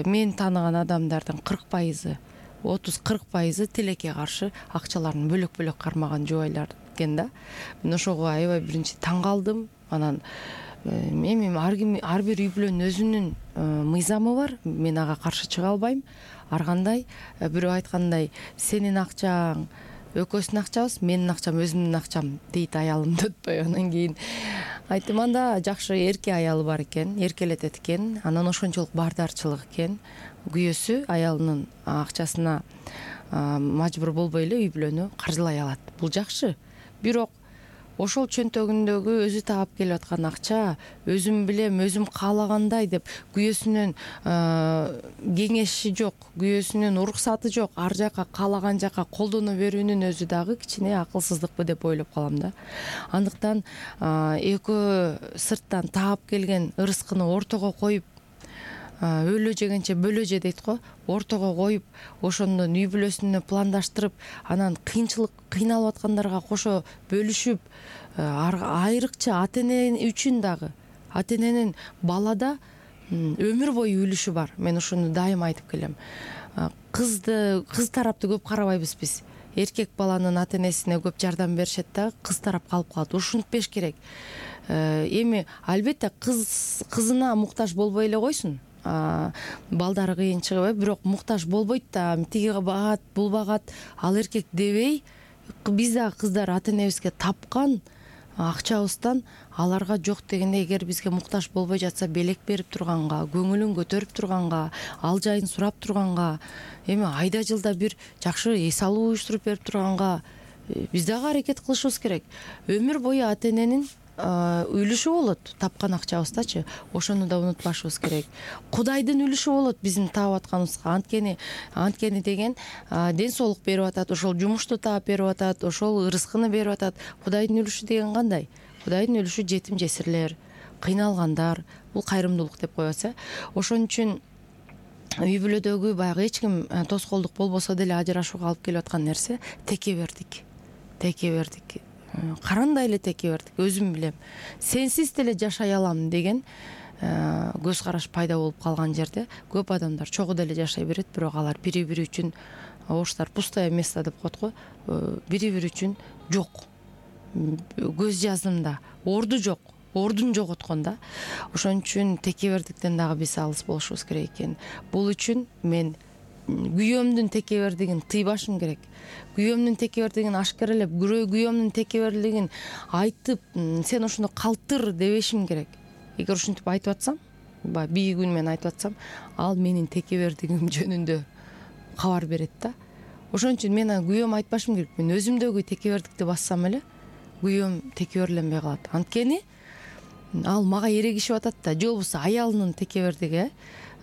мен тааныган адамдардын кырк пайызы, отуз кырк пайызы тилекке каршы акчаларын бөлөк-бөлөк кармаган жубайлар экен да. Мен ошого аябай биринчи таң калдым. Анан эми ар ким ар бир үй бүлөнүн өзүнүн мыйзамы бар. Мен ага каршы чыга албайм. Ар кандай бирөө айткандай, сенин акчаң экөөсүнүн акчабыз, менин акчам өзүмдүн акчам дейт аялым деп атпайбы. Анан кийин айттым, анда жакшы эрке аялы бар экен, эркелетет экен, анан ошончолук баардарчылык экен. Күйөөсү аялынын акчасына мажбур болбой эле үй бүлөнү каржылай алат. Бул жакшы. Бирок ошол чөнтөгүндөгү өзү таап келип аткан акча өзүм билем, өзүм каалагандай деп күйөөсүнүн кеңеши жок, күйөөсүнүн уруксаты жок, ар жака каалаган жака колдоно берүүнүн өзү дагы кичине акылсыздыкпы деп ойлоп калам да. Андыктан экөө сырттан таап келген ырыскыны ортого коюп, өлө жегенче бөлө же дейт го, ортого коюп, ошондон үй бүлөсүнө пландаштырып, анан кыйынчылык кыйналып аткандарга кошо бөлүшүп, айрыкча ата эне үчүн дагы, ата эненин балада өмүр бою үлүшү бар. Мен ошону дайым айтып келем. Кызды, кыз тарапты көп карабайбыз биз. Эркек баланын ата энесине көп жардам беришет да, кыз тарап калып калат. Ушинтпеш керек. Эми албетте кыз кызына муктаж болбой эле койсун. Балдары кыйын чыгып, бирок муктаж болбойт да, тиги багат, бул багат, ал эркек дебей, биз да кыздар ата энебизге тапкан акчабыздан аларга жок дегенде, эгер бизге муктаж болбой жатса, белек берип турганга, көңүлүн көтөрүп турганга, ал жайын сурап турганга, эми айда жылда бир жакшы эс алуу уюштуруп берип турганга биз дагы аракет кылышыбыз керек. Өмүр бою ата эненин үлүшү болот тапкан акчабыздачы, ошону да унутпашыбыз керек. Кудайдын үлүшү болот биздин таап атканыбызга. Анткени анткени деген ден соолук берип атат, ошол жумушту таап берип атат, ошол ырыскыны берип атат. Кудайдын үлүшү деген кандай? Кудайдын үлүшү жетим жесирлер, кыйналгандар, бул кайрымдуулук деп коебуз. Ошон үчүн үй бүлөдөгү баягы эч ким тоскоолдук болбосо деле ажырашууга алып келип аткан нерсе текебердик. Текебердик. Карандай эле текебердик. Өзүм билем. Сенсиз деле жашай алам деген көз караш пайда болуп калган жерде көп адамдар чогуу деле жашай берет, бирок алар бири-бири үчүн, орустар пустое место деп коет го, бири-бири үчүн жок. Көз жаздымда орду жок, ордун жоготкон да. Ошон үчүн текебердиктен дагы биз алыс болушубуз керек экен. Бул үчүн мен күйөөмдүн текебердигин тыйбашым керек. Күйөөмдүн текебердигин ашкаралап, күйөөмдүн текебердигин айтып, сен ошону калтыр дебешим керек. Эгер ушинтип айтып атсам, баягы бийик үн менен айтып атсам, ал менин текебердигим жөнүндө кабар берет да. Ошон үчүн мен күйөөм айтпашым керек. Мен өзүмдөгү текебердикти бассам эле, күйөөм текеберленбей калат. Анткени ал мага эрегишип атат да, же болбосо аялынын текебердиги,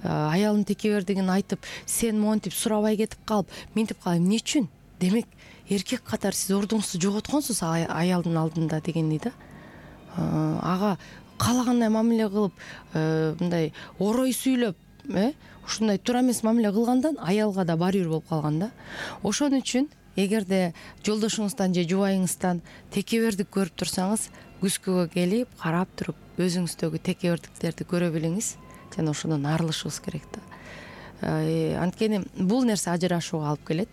аялынын текебердигин айтып, сен монтип сурабай кетип калып, мынтип калып, эмне үчүн? Демек, эркек катары сиз ордуңузду жоготконсуз аялдын алдында дегендей да. Ага каалагандай мамиле кылып, мындай орой сүйлөп, ушундай туура эмес мамиле кылгандан аялга да барыбир болуп калган да. Ошон үчүн эгерде жолдошуңуздан же жубайыңыздан текебердик көрүп турсаңыз, күзгүгө келип, карап туруп, өзүңүздөгү текебердиктерди көрө билиңиз жана ошондон арылышыбыз керек да. Анткени бул нерсе ажырашууга алып келет.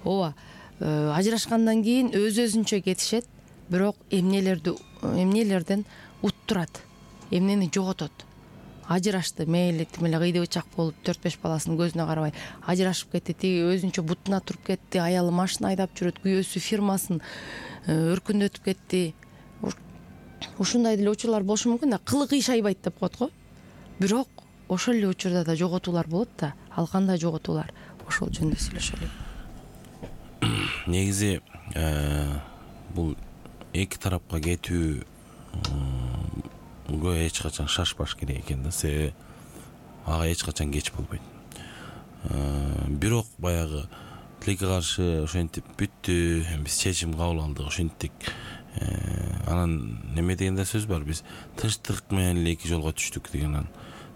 Ооба, ажырашкандан кийин өз-өзүнчө кетишет, бирок эмнелерди эмнелерден уттурат, эмнени жоготот. Ажырашты, мейли тим эле кыйды бычак болуп, төрт беш баласынын көзүнө карабай ажырашып кетти, тиги өзүнчө бутуна туруп кетти, аялы машина айдап жүрөт, күйөөсү фирмасын өркүндөтүп кетти. Ушундай деле учурлар болушу мүмкүн да, кылы кыйшайбайт деп коет го. Бирок ошол эле учурда да жоготуулар болот да. Ал кандай жоготуулар? Ошол жөнүндө сүйлөшөлү. Негизи бул эки тарапка кетүүгө эч качан шашпаш керек экен да. Себеби ага эч качан кеч болбойт. Бирок баягы тилекке каршы ошентип бүттү, биз чечим кабыл алдык, ошентик Анан неме деген да сөз бар, биз тынчтык менен эле эки жолго түштүк деген.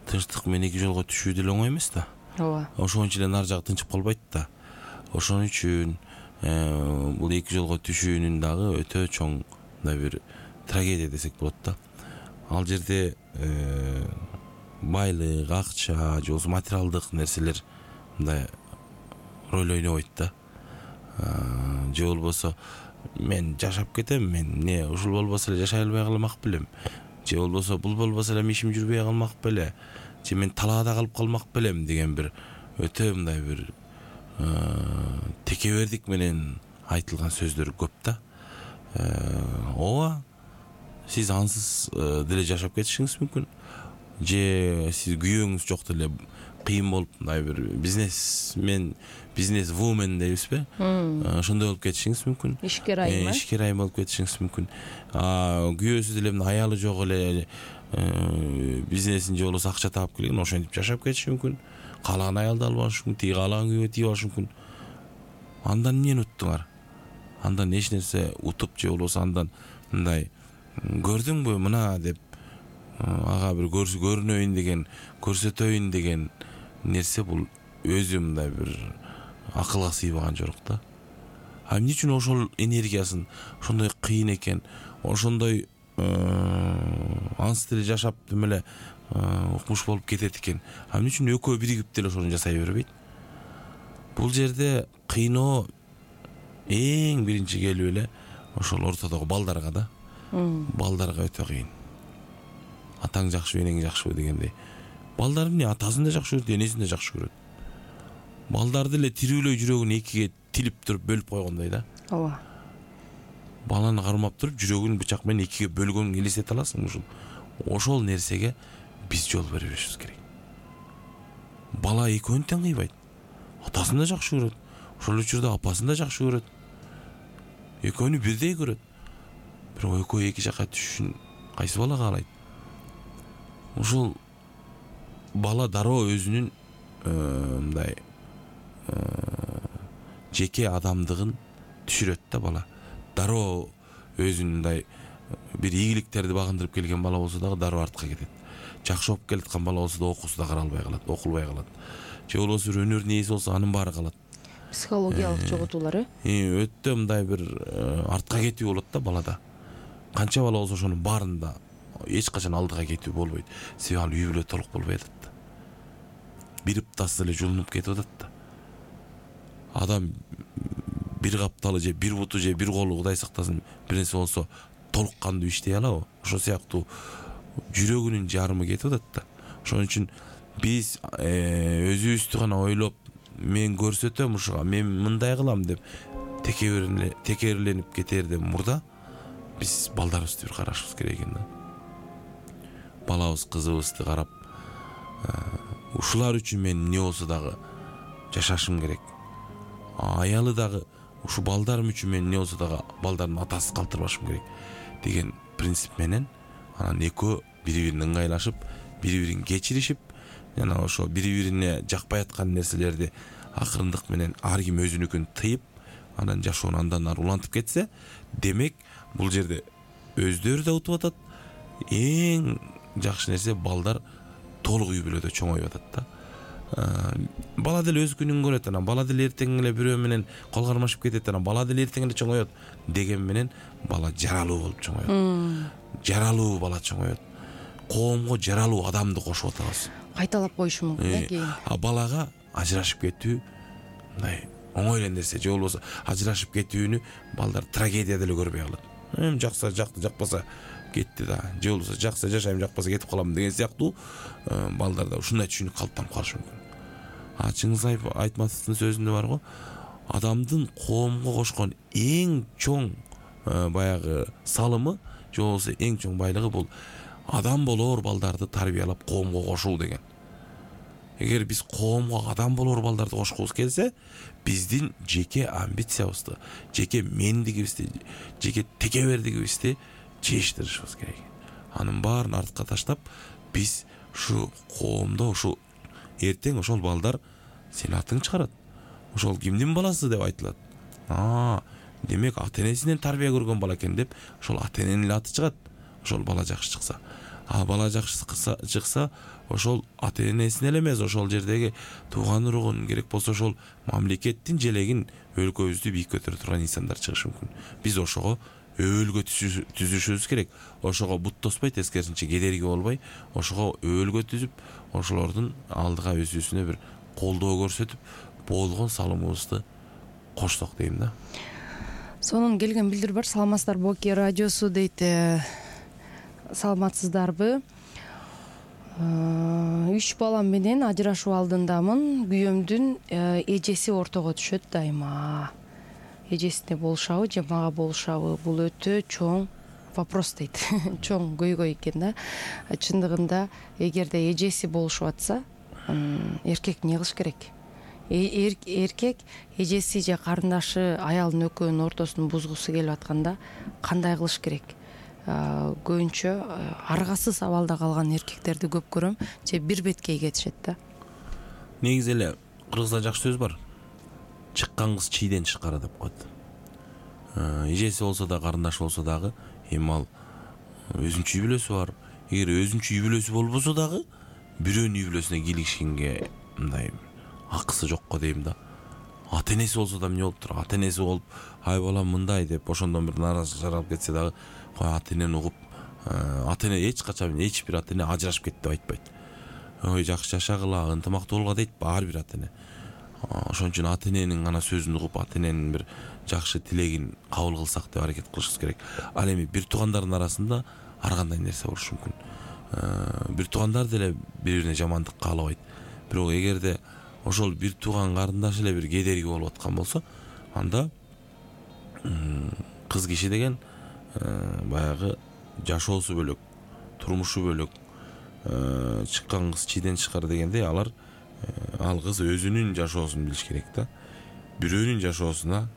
Тынчтык менен эки жолго түшүү деле оңой эмес да. ооба. Ошон үчүн эле нар жагы тынчып калбайт да. Ошон үчүн бул эки жолго түшүүнүн дагы өтө чоң мындай бир трагедия десек болот да. Ал жерде байлык, акча же болбосо материалдык нерселер мындай роль ойнобойт да. Же болбосо мен жашап кетем, мен не ушул болбосо эле жашай албай калмак белем. Же болбосо бул болбосо эле ишим жүрбөй калмак беле. Же мен талаада калып калмак белем деген бир өтө мындай бир текебердик менен айтылган сөздөр көп да. Ооба, сиз ансыз деле жашап кетишиңиз мүмкүн. Же сиз күйөөңүз жок деле кыйын болуп мындай бир бизнесмен, бизнес вумен дейбизби? Ошондой болуп кетишиңиз мүмкүн. Ишкер айым, э? Ишкер айым болуп кетишиңиз мүмкүн. Күйөөсү деле аялы жок эле бизнесин же болбосо акча таап келген, ошентип жашап кетиши мүмкүн. Каалаган аялды алып алышы мүмкүн, тиги каалаган күйөөгө тийип алышы мүмкүн. Андан эмнени уттуңар? Андан эч нерсе утуп же болбосо андан мындай көрдүңбү мына деп ага бир көрүнөйүн деген, көрсөтөйүн деген нерсе бул өзү мындай бир акылга сыйбаган жок да. А эмне үчүн ошол энергиясын ошондой кыйын экен, ошондой анс деле жашап демеле укмуш болуп кетет экен. А эмне үчүн экөө биригип деле ошону жасай бербейт? Бул жерде кыйноо эң биринчи келип эле ошол ортодогу балдарга да. Балдарга өтө кыйын. Атаң жакшыбы, энең жакшыбы дегендей. Балдар эмне атасын да жакшы көрөт, энесин да жакшы көрөт. Балдарды эле тирүүлөй жүрөгүн экиге тилип туруп бөлүп койгондой да. Ооба. Баланы кармап туруп жүрөгүн бычак менен экиге бөлгөнүн элестете аласың ушул. Ошол нерсеге биз жол бербешибиз керек. Бала экөөнү тең кыйбайт. Атасын да жакшы көрөт. Ошол учурда апасын да жакшы көрөт. Экөөнү бирдей көрөт. Бирок экөө эки жакка түшүшүн кайсы бала каалайт? Ушул бала дароо өзүнүн мындай жеке адамдыгын түшүрөт да бала. Дароо өзүнүн мындай бир ийгиликтерди багындырып келген бала болсо дагы дароо артка кетет. Жакшы окуп келаткан бала болсо да окуусу да каралбай калат, окулбай калат. Же болбосо бир өнөрдүн ээси болсо анын баары калат. Психологиялык жоготуулар, э? Өтө мындай бир артка кетүү болот да балада. Канча бала болсо ошонун баарында эч качан алдыга кетүү болбойт. Себеби ал үй бүлө толук болбой атат да. Бир ыптасы эле жулунуп кетип атат да. Адам бир капталы же бир буту же бир колу Кудай сактасын бир нерсе болсо толук кандуу иштей алабы? Ошол сыяктуу жүрөгүнүн жарымы кетип атат да. Ошон үчүн биз өзүбүздү гана ойлоп, мен көрсөтөм ушуга, мен мындай кылам деп текериленип кетерден мурда биз балдарыбызды бир карашыбыз керек экен да. Балабыз, кызыбызды карап, ушулар үчүн мен эмне болсо дагы жашашым керек. Аялы дагы ушу балдарым үчүн мен эмне болсо дагы балдардын атасы калтырбашым керек деген принцип менен анан экөө бири-бирин ыңгайлашып, бири-бирин кечиришип, жана ошо бири-бирине жакпай аткан нерселерди акырындык менен ар ким өзүнүкүн тыйып, анан жашоону андан ары улантып кетсе, демек бул жерде өздөрү да утуп атат. Эң жакшы нерсе балдар толук үй бүлөдө чоңоюп атат да. Бала деле өз күнүн көрөт, анан бала деле эртең эле бирөө менен кол кармашып кетет, анан бала деле эртең эле чоңоет деген менен бала жаралуу болуп чоңоет. Жаралуу бала чоңоет. Коомго жаралуу адамды кошуп атабыз. Кайталап коюшу мүмкүн э кийин. А балага ажырашып кетүү мындай оңой эле нерсе. Же болбосо ажырашып кетүүнү балдар трагедия деле көрбөй калат. Эм жакса жакты, жакпаса кетти да. Же болбосо жакса жашайм, жакпаса кетип калам деген сыяктуу балдарда ушундай түшүнүк калыптанып калышы мүмкүн. А Чыңгыз Айтматовдун сөзүндө бар го, адамдын коомго кошкон эң чоң баягы салымы, же болбосо эң чоң байлыгы бул адам болор балдарды тарбиялап коомго кошуу деген. Эгер биз коомго адам болор балдарды кошкубуз келсе, биздин жеке амбициябызды, жеке мендигибизди, жеке текебердигибизди чечтиришибиз керек. Анын баарын артка таштап, биз ушу коомдо ушу эртең ошол балдар сен атың чыгарат. Ошол кимдин баласы деп айтылат. А, демек ата энесинен тарбия көргөн бала экен деп ошол ата эненин эле аты чыгат, ошол бала жакшы чыкса. А бала жакшы чыкса ошол ата энесин эле эмес, ошол жердеги тууган уругун, керек болсо ошол мамлекеттин желегин, өлкөбүздү бийик көтөрө турган инсандар чыгышы мүмкүн. Биз ошого өбөлгө түзүшүбүз керек. Ошого бут тоспой, тескерисинче кедерги болбой, ошого өбөлгө түзүп, ошолордун алдыга өзүбүзүнө бир колдоо көрсөтүп, болгон салымыбызды коштук дейм да. Сонун келген билдирүү бар. Саламатсыздар Боки радиосу дейт. Саламатсыздарбы? Үч балам менен ажырашуу алдындамын. Күйөөмдүн эжеси ортого түшөт дайыма. Эжесине болушабы же мага болушабы? Бул өтө чоң вопрос дейт. Чоң көйгөй экен да. Чындыгында эгерде эжеси болушуп атса, эркек эмне кылыш керек? Эркек эжеси же карындашы аялдын экөөнүн ортосун бузгусу келип атканда кандай кылыш керек? Көбүнчө аргасыз абалда калган эркектерди көп көрөм, же бир беткей кетишет да. Негизи эле кыргызда жакшы сөз бар. Чыккан кыз чийден чыккара деп коет. Эжеси болсо да, карындашы болсо дагы, эми ал өзүнчө үй бүлөсү бар. Эгер өзүнчө үй бүлөсү болбосо дагы, бирөөнүн үй бүлөсүнө кийлигишкенге мындай акысы жок го дейм да. Ата энеси болсо да эмне болуп тур? Ата энеси болуп, ай балам мындай деп ошондон бир нааразычылык жаралып кетсе дагы, кой ата энени угуп, ата эне эч качан эч бир ата эне ажырашып кет деп айтпайт. Ой, жакшы жашагыла, ынтымактуу болгула дейт ар бир ата эне. Ошон үчүн ата эненин гана сөзүн угуп, ата эненин бир жакшы тилегин кабыл кылсак деп аракет кылышыбыз керек. Ал эми бир туугандардын арасында ар кандай нерсе болушу мүмкүн. Бир туугандар деле бири-бирине жамандык каалабайт. Бирок эгерде ошол бир тууган карындаш эле бир кедерги болуп аткан болсо, анда кыз киши деген баягы жашоосу бөлөк, турмушу бөлөк, чыккан кыз чийден чыккар дегендей, алар ал кыз өзүнүн жашоосун билиш керек да. Бирөөнүн жашоосуна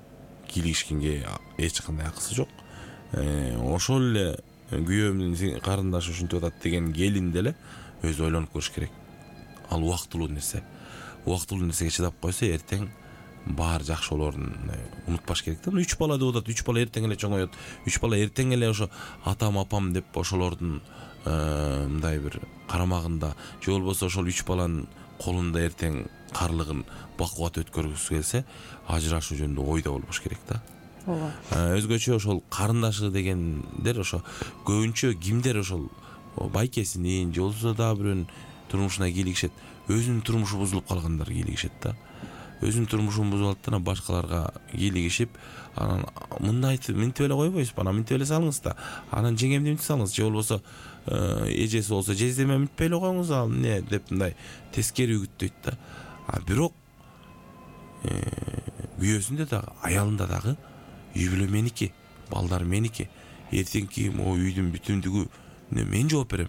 кийлигишкенге эч кандай акысы жок. Ошол эле күйөөмдүн карындашы ушинтип атат деген келин деле өзү ойлонуп көрүш керек. Ал убактылуу нерсе. Убактылуу нерсеге чыдап койсо, эртең баары жакшы болоорун унутпаш керек да. Үч бала деп атат, үч бала эртең эле чоңоет. Үч бала эртең эле ошо атам, апам деп ошолордун мындай бир карамагында, же болбосо ошол үч баланын колунда эртең карлыгын бакубат өткөргүсү келсе, ажырашуу жөнүндө ойда болбош керек да. Ооба. Өзгөчө ошол карындашы дегендер ошо көбүнчө кимдер ошол байкесинин же болбосо дагы бирөөнүн турмушуна кийлигишет. Өзүнүн турмушу бузулуп калгандар кийлигишет да. Өзүнүн турмушун бузуп алып да башкаларга кийлигишип, анан мындай мынтип эле койбойсузбу, анан мынтип эле салыңыз да. Анан жеңемди мынтип салыңыз, же болбосо эжеси болсо жездеме мынтпей эле коюңуз, ал эмне деп мындай тескери үгүттөйт да. А бирок күйөөсүндө дагы, аялында дагы үй бүлө меники, балдар меники. Эртеңки могу үйдүн бүтүндүгү мен жооп берем.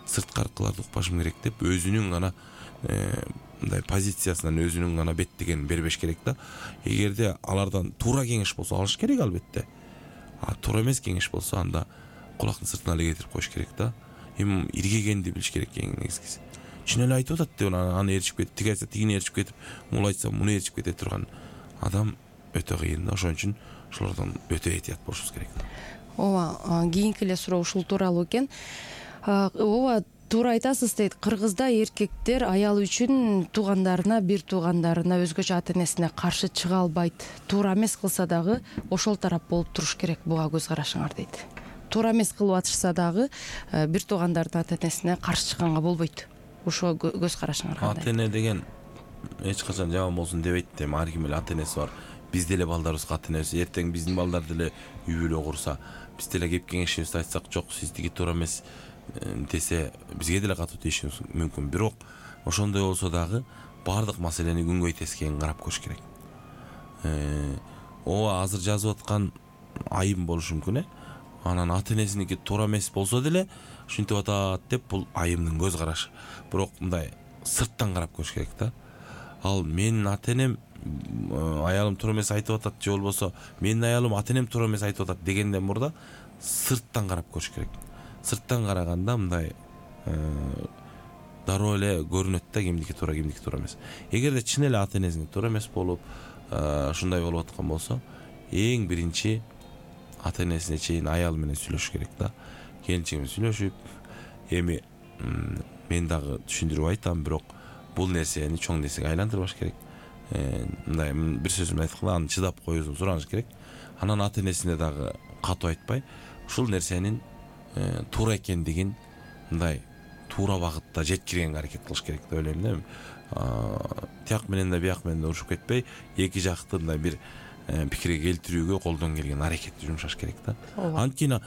Сырткы аркыларды укпашым керек деп өзүнүн гана мындай позициясынан өзүнүн гана беттегенин бербеш керек да. Эгерде алардан туура кеңеш болсо алыш керек албетте. А туура эмес кеңеш болсо анда кулактын сыртына эле кетирип коюш керек да. Эми иргегенди билиш керек эң негизгиси. Чын эле айтып атат деп аны эрчип кетип, тиги айтса тигини эрчип кетип, муну айтса муну эрчип кете турган адам өтө кыйын да. Ошон үчүн ошолордон өтө этият болушубуз керек. Ооба, кийинки эле суроо ушул тууралуу экен. Ооба, туура айтасыз дейт. Кыргызда эркектер аялы үчүн туугандарына, бир туугандарына, өзгөчө ата энесине каршы чыга албайт. Туура эмес кылса дагы ошол тарап болуп туруш керек. Буга көз карашыңар дейт. Туура эмес кылып атышса дагы бир туугандардын ата энесине каршы чыкканга болбойт. Ошо көз карашыңар кандай? Ата эне деген эч качан жаман болсун дебейт да. Ар ким эле ата энеси бар. Биз деле балдарыбызга ата энеси, эртең биздин балдар деле үй бүлө курса, биз деле кеп кеңешибизди айтсак, жок сиз тиги туура эмес десе, бизге деле катуу тийишибиз мүмкүн. Бирок ошондой болсо дагы баардык маселени күнгөй тескейин карап көрүш керек. Ооба, азыр жазып аткан айым болушу мүмкүн, э? Анан ата энесиники туура эмес болсо деле ушинтип атат деп бул айымдын көз карашы. Бирок мындай сырттан карап көрүш керек да. Ал менин ата энем аялым туура эмес айтып атат, же болбосо менин аялым ата энем туура эмес айтып атат дегенден мурда сырттан карап көрүш керек. Сырттан караганда мындай дароо эле көрүнөт да кимдики туура, кимдики туура эмес. Эгерде чын эле ата энесине туура эмес болуп, ушундай болуп аткан болсо, эң биринчи ата энесине чейин аялы менен сүйлөшүш керек да. Келинчеги менен сүйлөшүп, эми мен дагы түшүндүрүп айтам, бирок бул нерсени чоң нерсеге айландырбаш керек. Мындай бир сөз менен айтканда аны чыдап коюусун сураныш керек. Анан ата энесине дагы катуу айтпай, ушул нерсенин туура экендигин мындай туура багытта жеткиргенге аракет кылыш керек деп ойлойм да. Тияк менен да бияк менен да урушуп кетпей, эки жакты мындай бир пикирге келтирүүгө колдон келген аракетти жумшаш керек да. Анткени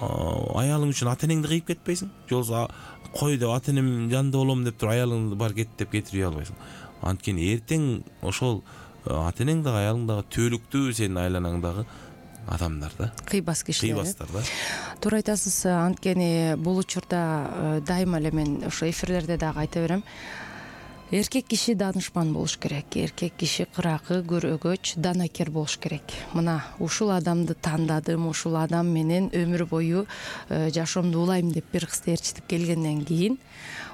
аялың үчүн ата энеңди кыйып кетпейсиң. Же болбосо кой деп ата энем жанында болом деп туруп аялыңды бар кет деп кетирип албайсың. Анткени эртең ошол ата энең дагы аялың дагы түбөлүктүү сенин айланаңдагы адамдар да. Кыйбас кишилер. Кыйбастар да. Туура айтасыз. Анткени бул учурда дайыма эле мен ошо эфирлерде дагы айта берем. Эркек киши данышман болуш керек. Эркек киши кыракы, көрөгөч, данакер болуш керек. Мына ушул адамды тандадым, ушул адам менен өмүр бою жашоомду улайм деп бир кызды ээрчитип келгенден кийин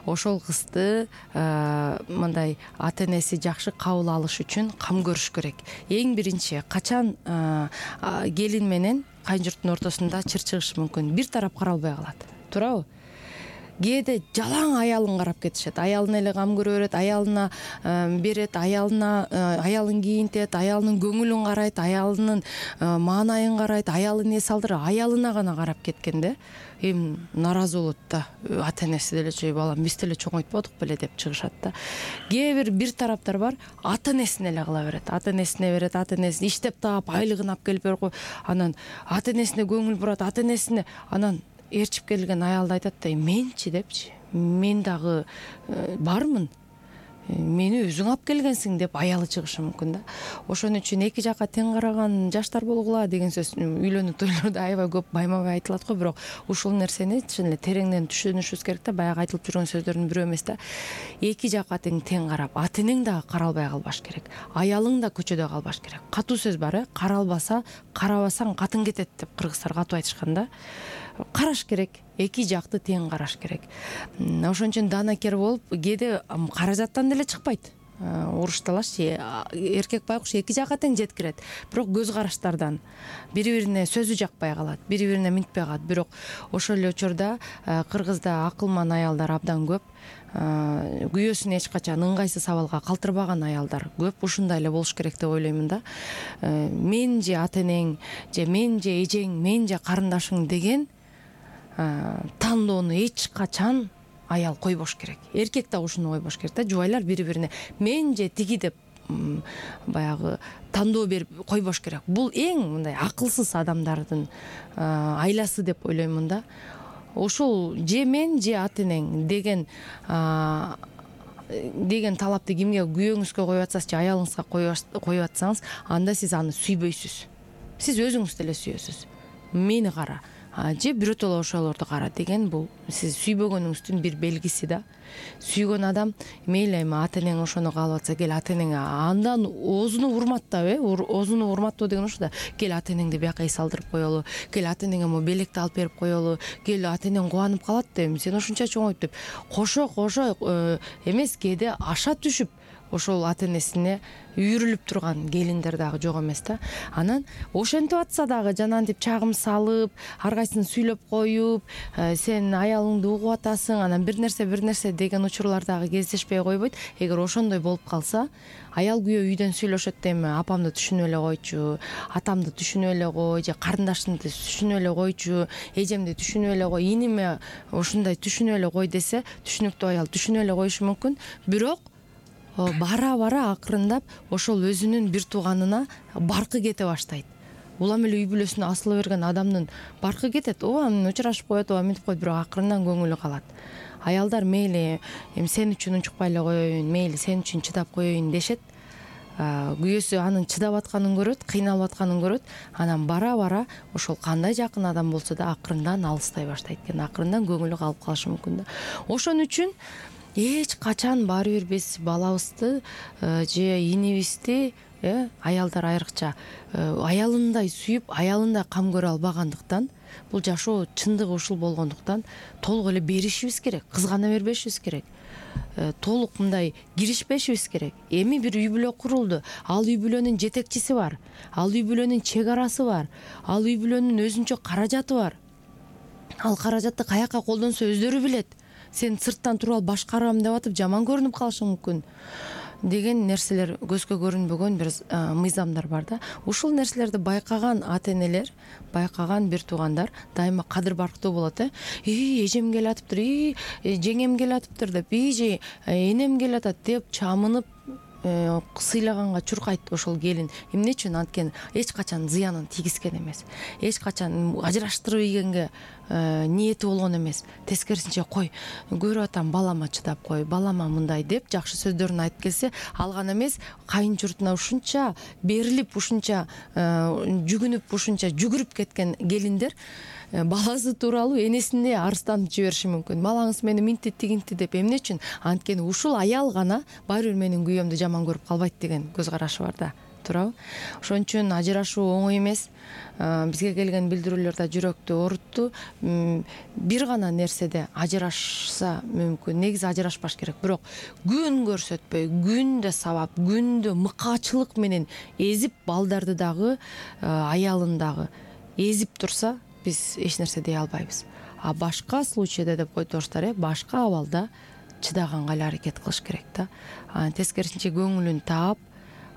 ошол кызды мындай ата энеси жакшы кабыл алыш үчүн кам көрүш керек. Эң биринчи качан келин менен кайын-журттун ортосунда чыр-чыгышы мүмкүн. Бир тарап каралбай калат. Туурабы? Кээде жалаң аялын карап кетишет. Аялына эле кам көрө берет, аялына берет, аялына аялын кийинтет, аялынын көңүлүн карайт, аялынын маанайын карайт, аялы эмне салдырат, аялына гана карап кеткен да. Эми наразы болот да. Ата энеси деле чөй балам биз деле чоңойтподук беле деп чыгышат да. Кээ бир бир тараптар бар, ата энесине эле кыла берет. Ата энесине берет, ата энеси иштеп таап, айлыгын алып келип берип коюп, анан ата энесине көңүл бурат, ата энесине анан ээрчип келген аялды айтат да, менчи депчи, мен дагы бармын, мени өзүң алып келгенсиң деп аялы чыгышы мүмкүн да. Ошон үчүн эки жакка тең караган жаштар болгула деген сөз үйлөнүү тойлордо аябай көп байма-бай айтылат го, бирок ушул нерсени чын эле тереңден түшүнүшүбүз керек да. Баягы айтылып жүргөн сөздөрдүн бирөө эмес да. Эки жакка тең тең карап, ата энең дагы каралбай калбаш керек. Аялың да көчөдө калбаш керек. Катуу сөз бар, э? Каралбаса, карабасаң катын кетет деп кыргыздар катуу айтышкан да. Караш керек, эки жакты тең караш керек. Ошон үчүн данакер болуп, кээде каражаттан деле чыкпайт. Урушталашчы, эркек байкуш эки жакка тең жеткирет, бирок көз караштардан бири-бирине сөзү жакпай калат, бири-бирине минтпей калат. Бирок ошол эле учурда кыргызда акылман аялдар абдан көп. Күйөөсүн эч качан ыңгайсыз абалга калтырбаган аялдар көп. Ушундай эле болуш керек деп ойлоймун да. Мен же ата энең, же мен же эжең, мен же карындашың деген тандоону эч качан аял койбош керек. Эркек да ушуну койбош керек да. Жубайлар бири-бирине мен же тиги деп баягы тандоо берип койбош керек. Бул эң мындай акылсыз адамдардын айласы деп ойлоймун да. Ушул же мен же ата энең деген деген талапты кимге, күйөөңүзгө коюп атсаңыз же аялыңызга коюп атсаңыз, анда сиз аны сүйбөйсүз. Сиз өзүңүз деле сүйөсүз. Мени кара, же бирөтөлө ошолорду кара деген бул сиз сүйбөгөнүңүздүн бир белгиси да. Сүйгөн адам мейли эми ата энең ошону каалап атса, кел ата энең андан оозуну урматтап, э, оозуну урматтоо деген ошо да. Кел ата энеңди бияка эс алдырып коелу, кел ата энеңе могу белекти алып берип коелу, кел ата энең кубанып калат да, эми сен ошунча чоңойт деп. Кошо кошо эмес, кээде аша түшүп ошол ата энесине үйрүлүп турган келиндер дагы жок эмес да. Анан ошентип атса дагы жанагынтип чагым салып, ар кайсысын сүйлөп коюп, сен аялыңды угуп атасың, анан бир нерсе бир нерсе деген учурлар дагы кездешпей койбойт. Эгер ошондой болуп калса, аял күйөө үйдөн сүйлөшөт да, эми апамды түшүнүп эле койчу, атамды түшүнүп эле кой, же карындашымды түшүнүп эле койчу, эжемди түшүнүп эле кой, иниме ушундай түшүнүп эле кой десе, түшүнүктүү аял түшүнүп эле коюшу мүмкүн. Бирок бара-бара акырындап ошол өзүнүн бир тууганына баркы кете баштайт. Улам эле үй бүлөсүнө асыла берген адамдын баркы кетет. Ооба менен учурашып коет, ооба мынтип коет, бирок акырындан көңүлү калат. Аялдар мейли эми сен үчүн унчукпай эле коеюн, мейли сен үчүн чыдап коеюн дешет. Күйөөсү анын чыдап атканын көрөт, кыйналып атканын көрөт. Анан бара-бара ошол кандай жакын адам болсо да акырындан алыстай баштайт экен, акырындан көңүлү калып калышы мүмкүн да. Ошон үчүн эч качан баары бир биз балабызды же инибизди, аялдар айрыкча аялындай сүйүп, аялындай кам көрө албагандыктан, бул жашоо чындыгы ушул болгондуктан толук эле беришибиз керек, кызгана бербешибиз керек. толук мындай киришпешибиз керек. Эми бир үй бүлө курулду. Ал үй бүлөнүн жетекчиси бар. Ал үй бүлөнүн чек арасы бар. Ал үй бүлөнүн өзүнчө каражаты бар. Ал каражатты каяка колдонсо өздөрү билет. Сен сырттан туруп алып башкарам деп атып жаман көрүнүп калышың мүмкүн деген нерселер көзгө көрүнбөгөн бир мыйзамдар бар да. Ушул нерселерди байкаган ата-энелер, байкаган бир туугандар дайыма кадыр барктуу болот э. И эжем келатыптыр, и жеңем келатыптыр деп, и же энем келатат деп чамынып сыйлаганга чуркайт ошол келин. Эмне үчүн? Анткени эч качан зыянын тийгизген эмес. Эч качан ажыраштырып ийгенге ниети болгон эмес. Тескерисинче кой, көрүп атам балама чыдап кой, балама мындай деп жакшы сөздөрүн айтып келсе, алган эмес кайын журтуна ушунча берилип, ушунча жүгүнүп, ушунча жүгүрүп кеткен келиндер баласы тууралуу энесине арызданып жибериши мүмкүн. Балаңыз мени минти тигинти деп. Эмне үчүн? Анткени ушул аял гана баары бир менин күйөөмдү жаман көрүп калбайт деген көз карашы бар да. Туурабы? Ошон үчүн ажырашуу оңой эмес. Бизге келген билдирүүлөр да жүрөктү оорутtu. Бир гана нерседе ажырашса мүмкүн. Негизи ажырашпаш керек. Бирок күн көрсөтпөй, күндө сабап, күндө мыкаачылык менен эзип балдарды дагы, аялын дагы эзип турса, биз эч нерсе дей албайбыз. А башка случайда деп койдурсуздар, э, башка абалда чыдаганга эле аракет кылыш керек да. Тескерисинче көңүлүн таап,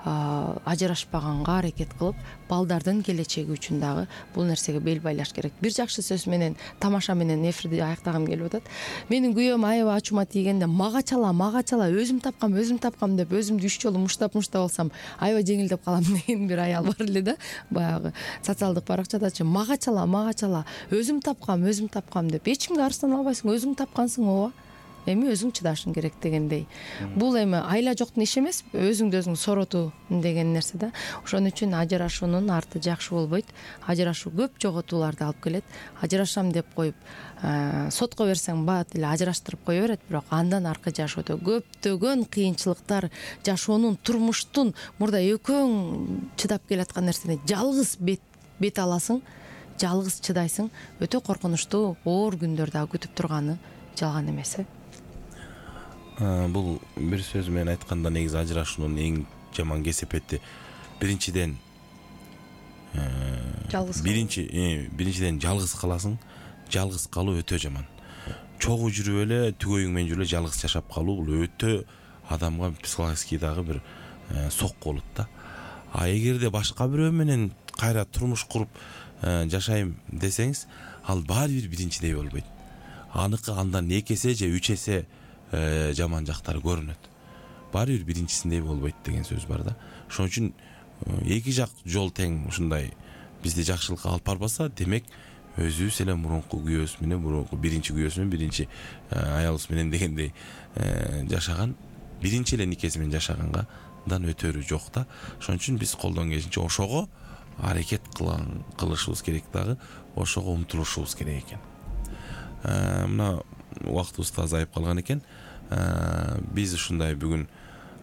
ажырашпаганга аракет кылып, балдардын келечеги үчүн дагы бул нерсеге бел байлаш керек. Бир жакшы сөз менен, тамаша менен эфирди аяктагым келип атат. Менин күйөөм аябай ачуума тийгенде мага чала, мага чала, өзүм тапкам, өзүм тапкам деп өзүмдү үч жолу муштап-муштап алсам, аябай жеңилдеп калам деген бир аял бар эле да. Баягы социалдык баракчадачы мага чала, мага чала, өзүм тапкам, өзүм тапкам деп. Эч кимге арыздана албайсың, өзүң тапкансың ооба. Эми өзүң чыдашың керек дегендей. Бул эми айла жоктун иши эмес, өзүңдү өзүң соротуу деген нерсе да. Ошон үчүн ажырашуунун арты жакшы болбойт. Ажырашуу көп жоготууларды алып келет. Ажырашам деп коюп, сотко берсең бат эле ажыраштырып кое берет, бирок андан аркы жашоодо көптөгөн кыйынчылыктар, жашоонун, турмуштун мурда экөөң чыдап келаткан нерсени жалгыз бет бет аласың, жалгыз чыдайсың. Өтө коркунучтуу, оор күндөр дагы күтүп турганы жалган эмес э. Бул бир сөз менен айтканда негизи ажырашуунун эң жаман кесепети биринчиден жалгыз биринчи биринчиден жалгыз каласың. Жалгыз калуу өтө жаман. Чогуу жүрүп эле, түгөйүң менен жүрүп эле жалгыз жашап калуу бул өтө адамга психологический дагы бир сокку болот да. А эгерде башка бирөө менен кайра турмуш куруп жашайм десеңиз, ал баары бир биринчидей болбойт. Аныкы андан эки эсе же үч эсе жаман жактары көрүнөт. Баары бир биринчисиндей болбойт деген сөз бар да. Ошон үчүн эки жак жол тең ушундай бизди жакшылыкка алып барбаса, демек өзүбүз эле мурунку күйөөбүз менен, мурунку биринчи күйөөбүз менен, биринчи аялыбыз менен дегендей жашаган, биринчи эле никеси менен жашагангадан өтөрү жок да. Ошон үчүн биз колдон келишинче ошого аракет кылышыбыз керек дагы, ошого умтулушубуз керек экен. Мына убактыбыз да азайып калган экен. Биз ушундай бүгүн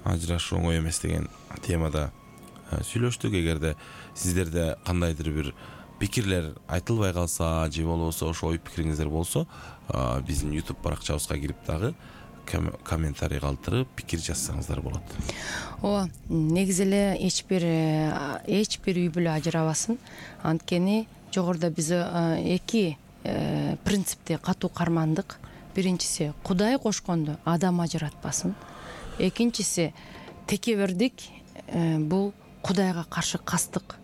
ажырашуу оңой эмес деген темада сүйлөштүк. Эгерде сиздерде кандайдыр бир пикирлер айтылбай калса же болбосо ошо ой пикириңиздер болсо, биздин YouTube баракчабызга кирип дагы комментарий калтырып пикир жазсаңыздар болот. Ооба, негизи эле эч бир эч бир үй бүлө ажырабасын. Анткени жогоруда биз эки принципти катуу кармандык. Биринчиси, Кудай кошконду адам ажыратпасын. Экинчиси, текебердик бул Кудайга каршы кастык.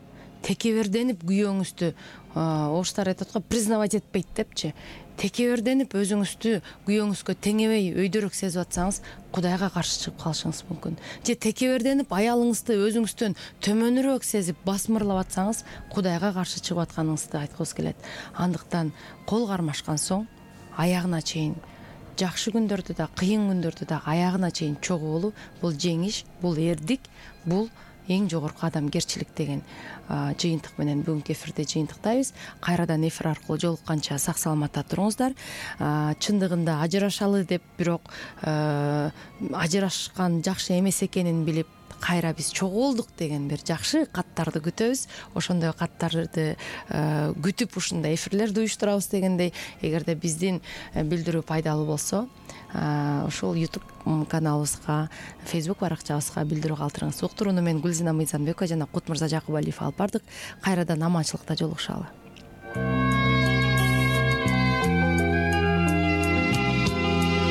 Текеберденип күйөөңүздү, орустар айтат го, признавать этпейт депчи. Текеберденип өзүңүздү күйөөңүзгө теңебей өйдөрөк сезип атсаңыз, Кудайга каршы чыгып калышыңыз мүмкүн. Же текеберденип аялыңызды өзүңүздөн төмөнүрөөк сезип басмырлап атсаңыз, Кудайга каршы чыгып атканыңызды айткыбыз келет. Андыктан кол кармашкан соң аягына чейин, жакшы күндөрдө да, кыйын күндөрдө да аягына чейин чогуу болуу, бул жеңиш, бул эрдик, бул эң жогорку адамгерчилик деген жыйынтык менен бүгүнкү эфирди жыйынтыктайбыз. Кайрадан эфир аркылуу жолукканча сак саламатта туруңуздар. Чындыгында ажырашалы деп, бирок ажырашкан жакшы эмес экенин билип, кайра биз чогулдук деген бир жакшы каттарды күтөбүз. Ошондой каттарды күтүп ушундай эфирлерди уюштурабыз дегендей, эгерде биздин билдирүү пайдалуу болсо, ушул YouTube каналыбызга, Facebook баракчабызга билдирүү калтырыңыз. Уктурууну мен Гүлзина Мыйзамбекова жана Кут Мырза Жакыбалиев алып бардык. Кайрадан аманчылыкта жолугушалы.